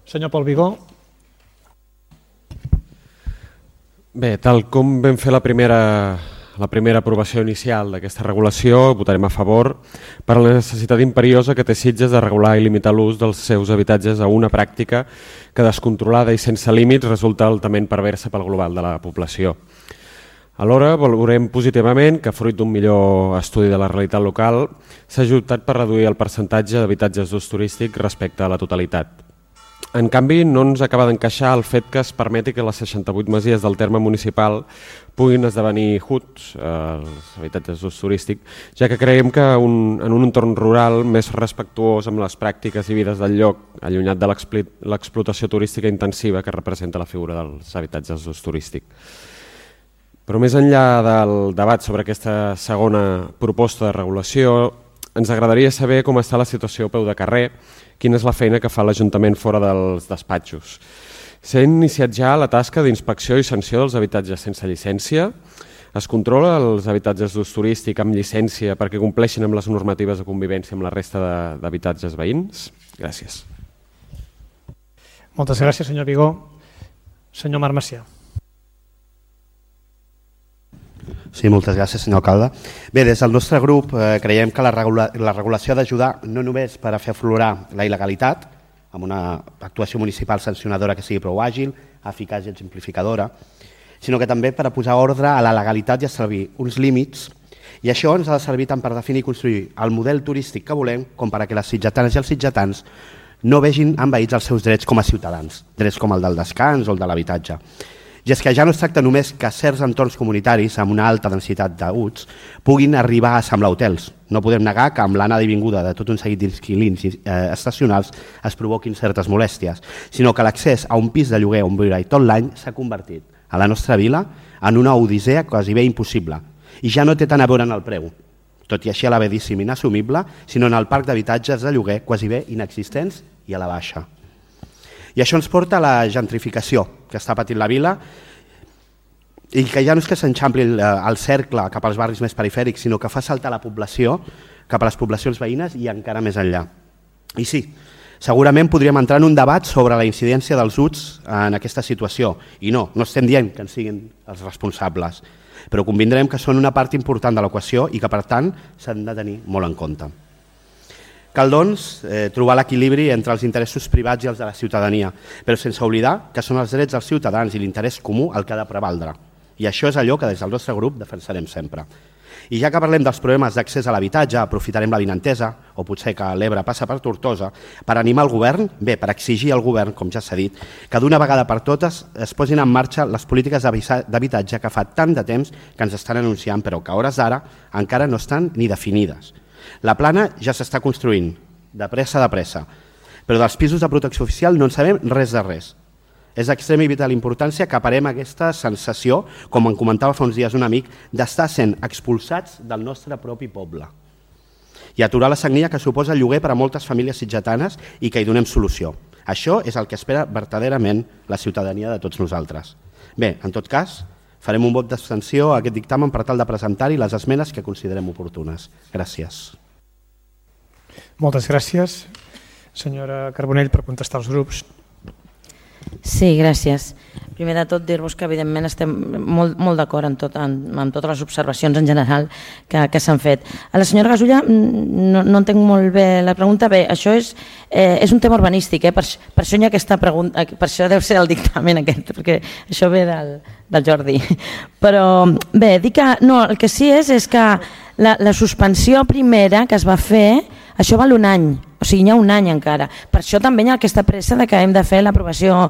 Senyor Pol Vigó. Bé, tal com vam fer la primera aprovació inicial d'aquesta regulació, votarem a favor per la necessitat imperiosa que té Sitges de regular i limitar l'ús dels seus habitatges a una pràctica que, descontrolada i sense límits, resulta altament perversa pel global de la població. Alhora, valorem positivament que, fruit d'un millor estudi de la realitat local, s'ha optat per reduir el percentatge d'habitatges d'ús turístic respecte a la totalitat. En canvi, no ens acaba d'encaixar el fet que es permeti que les 68 masies del terme municipal puguin esdevenir HUTs, els habitatges d'ús turístic, ja que creiem que en un entorn rural més respectuós amb les pràctiques i vides del lloc, allunyat de l'explotació turística intensiva que representa la figura dels habitatges d'ús turístic. Però més enllà del debat sobre aquesta segona proposta de regulació, ens agradaria saber com està la situació a peu de carrer, quina és la feina que fa l'Ajuntament fora dels despatxos. S'ha iniciat ja la tasca d'inspecció i sanció dels habitatges sense llicència? Es controla els habitatges d'ús turístic amb llicència perquè compleixin amb les normatives de convivència amb la resta d'habitatges veïns? Gràcies. Moltes gràcies, senyor Vigó. Senyor Marc Macià. Sí, moltes gràcies, senyor alcalde. Bé, des del nostre grup creiem que la regulació ha d'ajudar no només per a fer aflorar la il·legalitat, amb una actuació municipal sancionadora que sigui prou àgil, eficaç i exemplificadora, sinó que també per a posar ordre a la legalitat i establir uns límits, i això ens ha de servir tant per definir i construir el model turístic que volem com per a que les sitgetanes i els sitgetans no vegin envaïts els seus drets com a ciutadans, drets com el del descans o el de l'habitatge. I és que ja no es tracta només que certs entorns comunitaris amb una alta densitat d'UTs puguin arribar a semblar hotels. No podem negar que amb l'anada i vinguda de tot un seguit d'inquilins estacionals es provoquin certes molèsties, sinó que l'accés a un pis de lloguer on viure tot l'any s'ha convertit a la nostra vila en una odissea quasi bé impossible. I ja no té tant a veure en el preu, tot i així elevadíssim i inassumible, sinó en el parc d'habitatges de lloguer quasi bé inexistents i a la baixa. I això ens porta a la gentrificació que està patint la vila i que ja no és que s'enxampli el cercle cap als barris més perifèrics, sinó que fa saltar la població cap a les poblacions veïnes i encara més enllà. I sí, segurament podríem entrar en un debat sobre la incidència dels UTs en aquesta situació. I no estem dient que en siguin els responsables, però convindrem que són una part important de l'equació i que, per tant, s'han de tenir molt en compte. Cal, doncs, trobar l'equilibri entre els interessos privats i els de la ciutadania, però sense oblidar que són els drets dels ciutadans i l'interès comú el que ha de prevaldre. I això és allò que des del nostre grup defensarem sempre. I ja que parlem dels problemes d'accés a l'habitatge, aprofitarem l'avinentesa, o potser que l'Ebre passa per Tortosa, per animar el govern, per exigir al govern, com ja s'ha dit, que d'una vegada per totes es posin en marxa les polítiques d'habitatge que fa tant de temps que ens estan anunciant, però que a hores d'ara encara no estan ni definides. La plana ja s'està construint, de pressa, però dels pisos de protecció oficial no en sabem res de res. És d'extrema i vital importància que aparem aquesta sensació, com em comentava fa uns dies un amic, d'estar sent expulsats del nostre propi poble. I aturar la sagnia que suposa el lloguer per a moltes famílies sitgetanes i que hi donem solució. Això és el que espera verdaderament la ciutadania de tots nosaltres. Bé, en tot cas, farem un vot d'abstenció a aquest dictamen per tal de presentar-hi les esmenes que considerem oportunes. Gràcies. Moltes gràcies. Senyora Carbonell, per contestar als grups. Sí, gràcies. Primer de tot, dir-vos que evidentment estem molt d'acord amb totes les observacions en general que s'han fet. A la senyora Gasulla no entenc molt bé la pregunta. Bé, això és un tema urbanístic, per això hi ha aquesta pregunta, per això deu ser el dictamen aquest, perquè això ve del Jordi. Però bé, dic que no, el que sí és que la suspensió primera que es va fer Això val un any, o sigui, hi ha un any encara. Per això també hi ha aquesta pressa de que hem de fer l'aprovació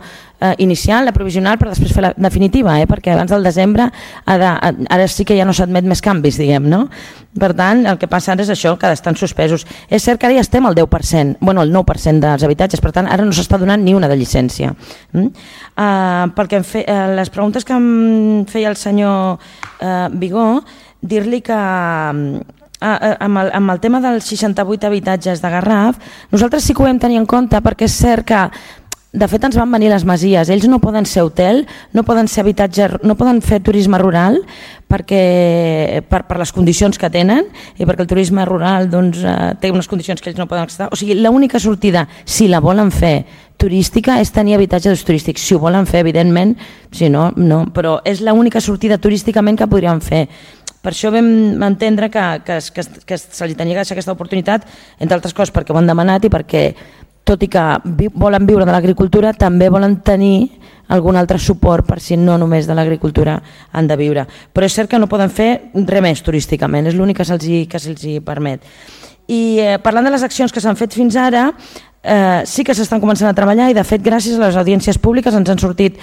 inicial, la provisional, però després fer la definitiva, perquè abans del desembre ara sí que ja no s'admet més canvis, diguem, no? Per tant, el que passa ara és això, que estan suspesos. És cert que ara ja estem al 10%, bueno, el 9% dels habitatges, per tant, ara no s'està donant ni una de llicència. Perquè les preguntes que em feia el senyor Vigó, dir-li que amb el tema dels 68 habitatges de Garraf, nosaltres sí que ho vam tenir en compte perquè és cert que de fet ens van venir les masies, ells no poden ser hotel, no poden ser habitatge, no poden fer turisme rural perquè per les condicions que tenen i perquè el turisme rural té unes condicions que ells no poden estar. O sigui, l'única sortida, si la volen fer turística, és tenir habitatge d'ús turístic. Si ho volen fer, evidentment, si no, no, però és l'única sortida turísticament que podríem fer. Per això vam entendre que se li tenia que deixar aquesta oportunitat, entre altres coses perquè ho han demanat i perquè, tot i que volen viure de l'agricultura, també volen tenir algun altre suport per si no només de l'agricultura han de viure. Però és cert que no poden fer res més turísticament, és l'únic que se'ls permet. I parlant de les accions que s'han fet fins ara, sí que s'estan començant a treballar i de fet gràcies a les audiències públiques ens han sortit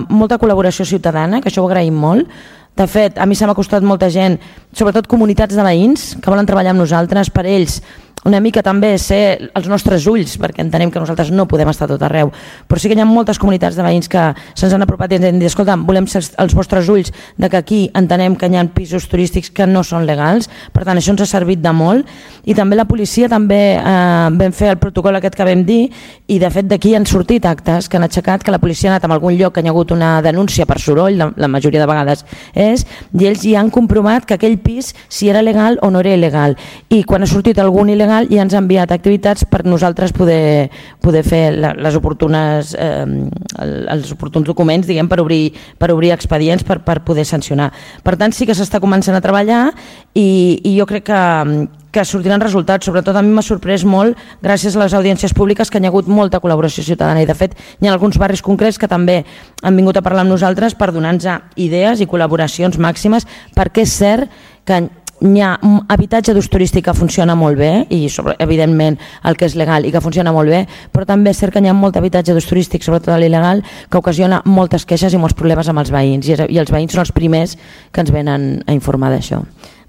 molta col·laboració ciutadana, que això ho agraïm molt. De fet, a mi s'ha costat molta gent, sobretot comunitats de veïns que volen treballar amb nosaltres, per ells una mica també ser els nostres ulls, perquè entenem que nosaltres no podem estar tot arreu, però sí que hi ha moltes comunitats de veïns que se'ns han apropat i ens han dit, escolta, volem ser els vostres ulls de que aquí entenem que hi ha pisos turístics que no són legals, per tant això ens ha servit de molt, i també la policia també vam fer el protocol aquest que vam dir, i de fet d'aquí han sortit actes que han aixecat, que la policia ha anat a algun lloc que hi ha hagut una denúncia per soroll, la majoria de vegades és, i ells ja han comprovat que aquell pis si era legal o no era il·legal, i quan ha sortit algun il·legal i ens ha enviat activitats per nosaltres poder fer els oportuns documents, diguem, per obrir expedients per poder sancionar. Per tant, sí que s'està començant a treballar i jo crec que sortiran resultats. Sobretot a mi m'ha sorprès molt, gràcies a les audiències públiques, que hi ha hagut molta col·laboració ciutadana i de fet hi ha alguns barris concrets que també han vingut a parlar amb nosaltres per donar-nos idees i col·laboracions màximes, perquè és cert que hi ha habitatge d'ús turístic que funciona molt bé i evidentment el que és legal i que funciona molt bé, però també és cert que hi ha molt habitatge d'ús turístic, sobretot l'il·legal, que ocasiona moltes queixes i molts problemes amb els veïns i els veïns són els primers que ens venen a informar d'això.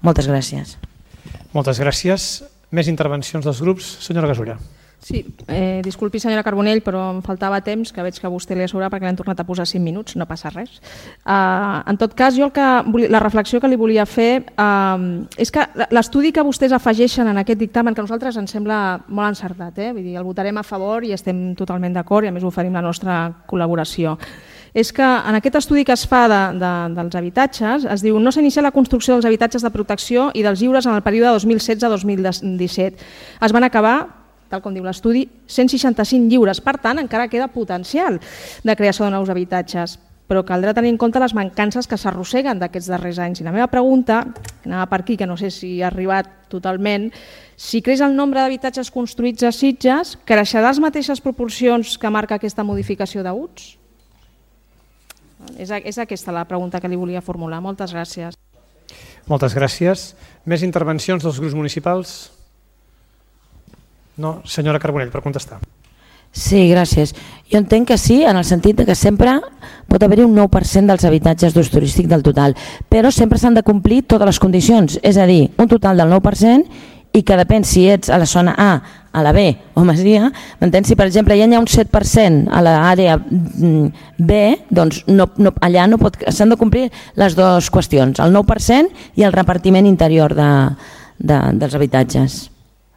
Moltes gràcies. Moltes gràcies. Més intervencions dels grups. Senyora Gasulla. Sí, disculpi senyora Carbonell, però em faltava temps, que veig que a vostè li ha sobrat perquè l'hem tornat a posar 5 minuts, no passa res. En tot cas, jo la reflexió que li volia fer és que l'estudi que vostès afegeixen en aquest dictamen, que a nosaltres ens sembla molt encertat, vull dir, el votarem a favor i estem totalment d'acord i a més oferim la nostra col·laboració, és que en aquest estudi que es fa dels habitatges es diu no s'ha iniciat la construcció dels habitatges de protecció i dels lliures en el període 2016-2017. Es van acabar, tal com diu l'estudi, 165 lliures. Per tant, encara queda potencial de creació de nous habitatges, però caldrà tenir en compte les mancances que s'arrosseguen d'aquests darrers anys. I la meva pregunta, anava per aquí, que no sé si ha arribat totalment, si creix el nombre d'habitatges construïts a Sitges, creixerà les mateixes proporcions que marca aquesta modificació d'UTS? És aquesta la pregunta que li volia formular. Moltes gràcies. Moltes gràcies. Més intervencions dels grups municipals? No, senyora Carbonell, per contestar. Sí, gràcies. Jo entenc que sí, en el sentit que sempre pot haver-hi un 9% dels habitatges d'ús turístic del total, però sempre s'han de complir totes les condicions, és a dir, un total del 9% i que depèn si ets a la zona A, a la B o masia, m'entens? Si per exemple ja hi ha un 7% a l'àrea B, doncs allà s'han de complir les dues qüestions, el 9% i el repartiment interior dels habitatges.